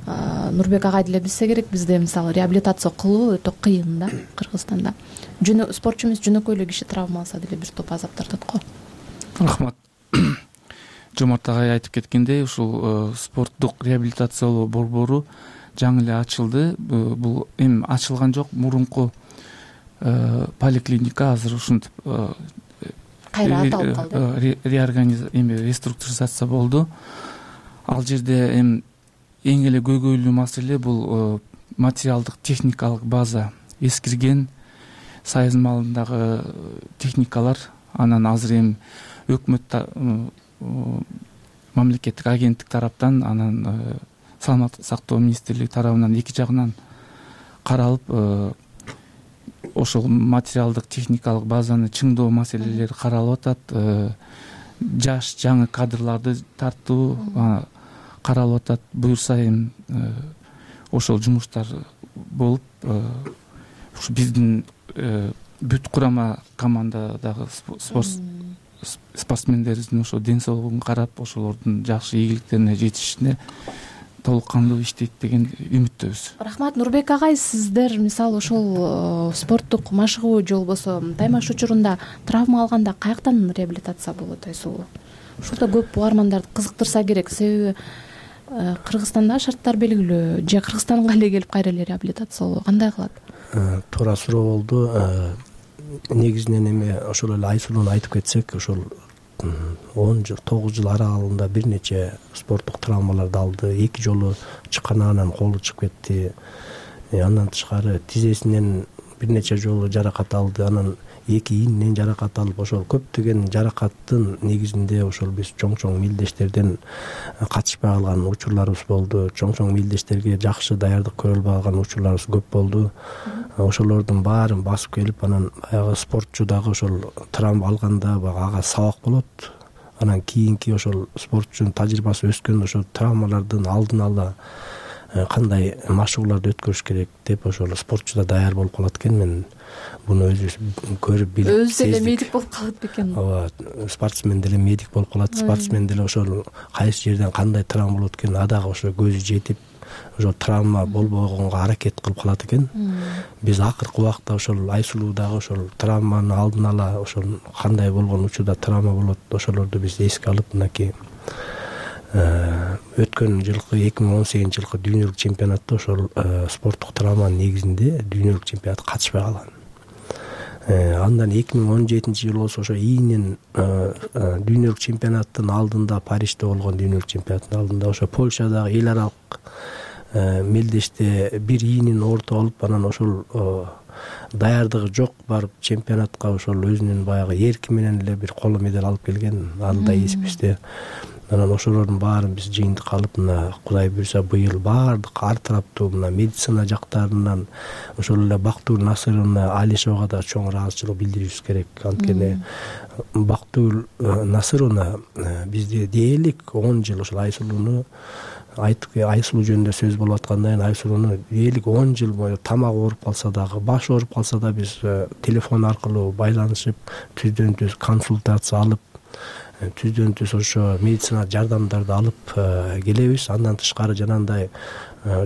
Нурбек агай деле билсе керек, бизде мисалы реабилитация кылуу өтө кыйын да Кыргызстанда. спортчу эмес жөнөкөй эле киши травма алса деле бир топ азап тартат го. Рахмат. Жомарт агай айтып кеткендей, ушул спорттук реабилитациялоо борбору жаңы эле ачылды. Бул эми ачылган жок, мурунку поликлиника азыр ушинтип кайра аталып калды. Реорганизация эми реструктуризация болду. Ал жерде эми эң эле көйгөйлүү маселе бул материалдык техникалык база эскирген, Союз малындагы техникалар, анан азыр эми өкмөт мамлекеттик агенттик тараптан, анан саламаттык сактоо министрлиги тарабынан эки жагынан каралып, ошол материалдык техникалык базаны чыңдоо маселелери каралып атат. Жаш жаңы кадрларды тартуу каралып атат. Буюрса эми ошол жумуштар болуп, ушу биздин бүт курама командадагы спортсмендерибиздин ошо ден соолугун карап, ошолордун жакшы ийгиликтерине жетишине толук кандуу иштейт деген үмүттөбүз. Рахмат. Нурбек агай, сиздер мисалы ошол спорттук машыгуу же болбосо таймаш учурунда травма алганда каяктан реабилитация болот айсулуу? Ушурда көп угармандарды кызыктырса керек, себеби Кыргызстанда шарттар белгилүү, же Кыргызстанга эле келип кайра эле реабилитациялоо кандай кылат? Туура суроо болду. Негизинен эми ошол эле Айсулууну айтып кетсек, ошол он жыл, тогуз жыл аралыгында бир нече спорттук травмаларды алды. Эки жолу чыканынан колу чыгып кетти. Андан тышкары тизесинен бир нече жолу жаракат алды. Анан эки ийининен жаракат алып, ошол көптөгөн жаракаттын негизинде ошол биз чоң-чоң мелдештерден катышпай калган учурларыбыз болду. Чоң-чоң мелдештерге жакшы даярдык көрө албай калган учурларыбыз көп болду. Ошолордун баарын басып келип, анан баягы спортчу дагы ошол травма алганда ага сабак болот. Анан кийинки ошол спортчунун тажрыйбасы өскөндө ошол травмалардын алдын ала кандай машыгууларды өткөрүш керек деп ошол спортчу да даяр болуп калат экен. Мен буну өзүбүз көрүп билип, өзү деле медик болуп калат бекен. Ооба, спортсмен деле медик болуп калат. Спортсмен деле ошол кайсы жерден кандай травма болот экен, адагы ошо көзү жетип, ошо травма болбогонго аракет кылып калат экен. Биз акыркы убакта ошол Айсулуу дагы ошол травманы алдын ала, ошол кандай болгон учурда травма болот, ошолорду биз эске алып, мынакей өткөн жылкы эки миң он сегизинчи жылкы дүйнөлүк чемпионатта ошол спорттук травманын негизинде дүйнөлүк чемпионатка катышпай калган. Андан эки миң он жетинчи жылы болсо ошо ийинен дүйнөлүк чемпионаттын алдында, Парижде болгон дүйнөлүк чемпионаттын алдында ошо Польшадагы эл аралык мелдеште бир ийинин ооруп алып, анан ошол даярдыгы жок барып чемпионатка ошол өзүнүн баягы эрки менен эле бир коло медаль алып келген. Аны да эсибизде. Анан ошолордун баарын биз жыйынтык алып, мына Кудай буйрса быйыл баардык ар тараптуу мына медицина жактарынан ошол эле Бактыгүл Насыровна Алишевага да чоң ыраазычылык билдиришибиз керек. Анткени Бактыгүл Насыровна бизде дээрлик он жыл ошол Айсулууну айтып, Айсулуу жөнүндө сөз болуп аткандан кийин Айсулууну дээрлик он жыл бою тамак ооруп калса дагы, баш ооруп калса да биз телефон аркылуу байланышып, түздөн түз консультация алып, түздөн түз ошо медицина жардамдарды алып келебиз. Андан тышкары жанагындай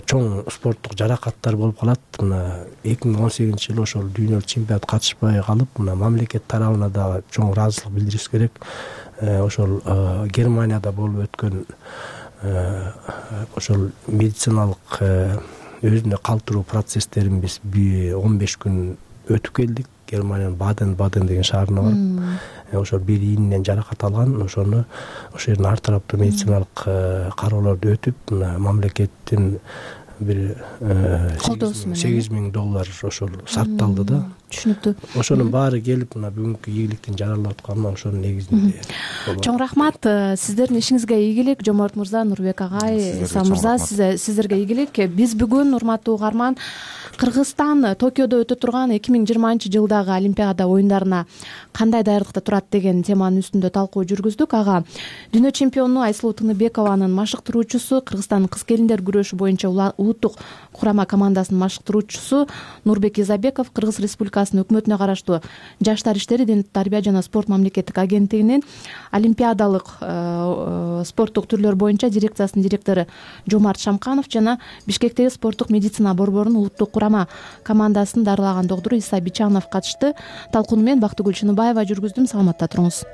чоң спорттук жаракаттар болуп калат. Мына эки миң он сегизинчи жылы ошол дүйнөлүк чемпионат катышпай калып, мына мамлекет тарабына да чоң ыраазычылык билдиришибиз керек. Ошол Германияда болуп өткөн ошол медициналык өзүнө калтыруу процесстерин биз он беш күн өтүп келдик. Германиянын Баден-Баден деген шаарына барып, ошол бир ийининен жаракат алган, ошону ошол жердин ар тараптуу медициналык кароолорду өтүп, мына мамлекеттин бир сегиз миң доллар ошол сарпталды да. Түшүнүктүү. Ошонун баары келип, мына бүгүнкү ийгиликтин жаралып атканына ошонун негизинде. Чоң рахмат. Сиздердин ишиңизге ийгилик. Жомарт мырза, Нурбек агай, Иса мырза, сиздерге ийгилик. Биз бүгүн, урматтуу угарман, Кыргызстан Токиодо өтө турган эки миң жыйырманчы жылдагы Олимпиада оюндарына кандай даярдыкта турат деген теманын үстүндө талкуу жүргүздүк. Ага дүйнө чемпиону Айсулуу Тыныбекованын машыктыруучусу, Кыргызстандын кыз келиндер күрөшү боюнча улуттук курама командасынын машыктыруучусу Нурбек Изабеков Кыргыз Республикасынын өкмөтүнө караштуу Жаштар иштери, ден тарбия жана спорт мамлекеттик агенттигинин олимпиадалык спорттук түрлөр боюнча дирекциясынын директору Жомарт Шамканов жана Бишкектеги спорттук медицина борборунун улуттук курама командасын дарылаган доктору Иса Бичанов катышты. Талкууну мен Бактыгүл Чыныбаева жүргүздүм. Саламатта туруңуз.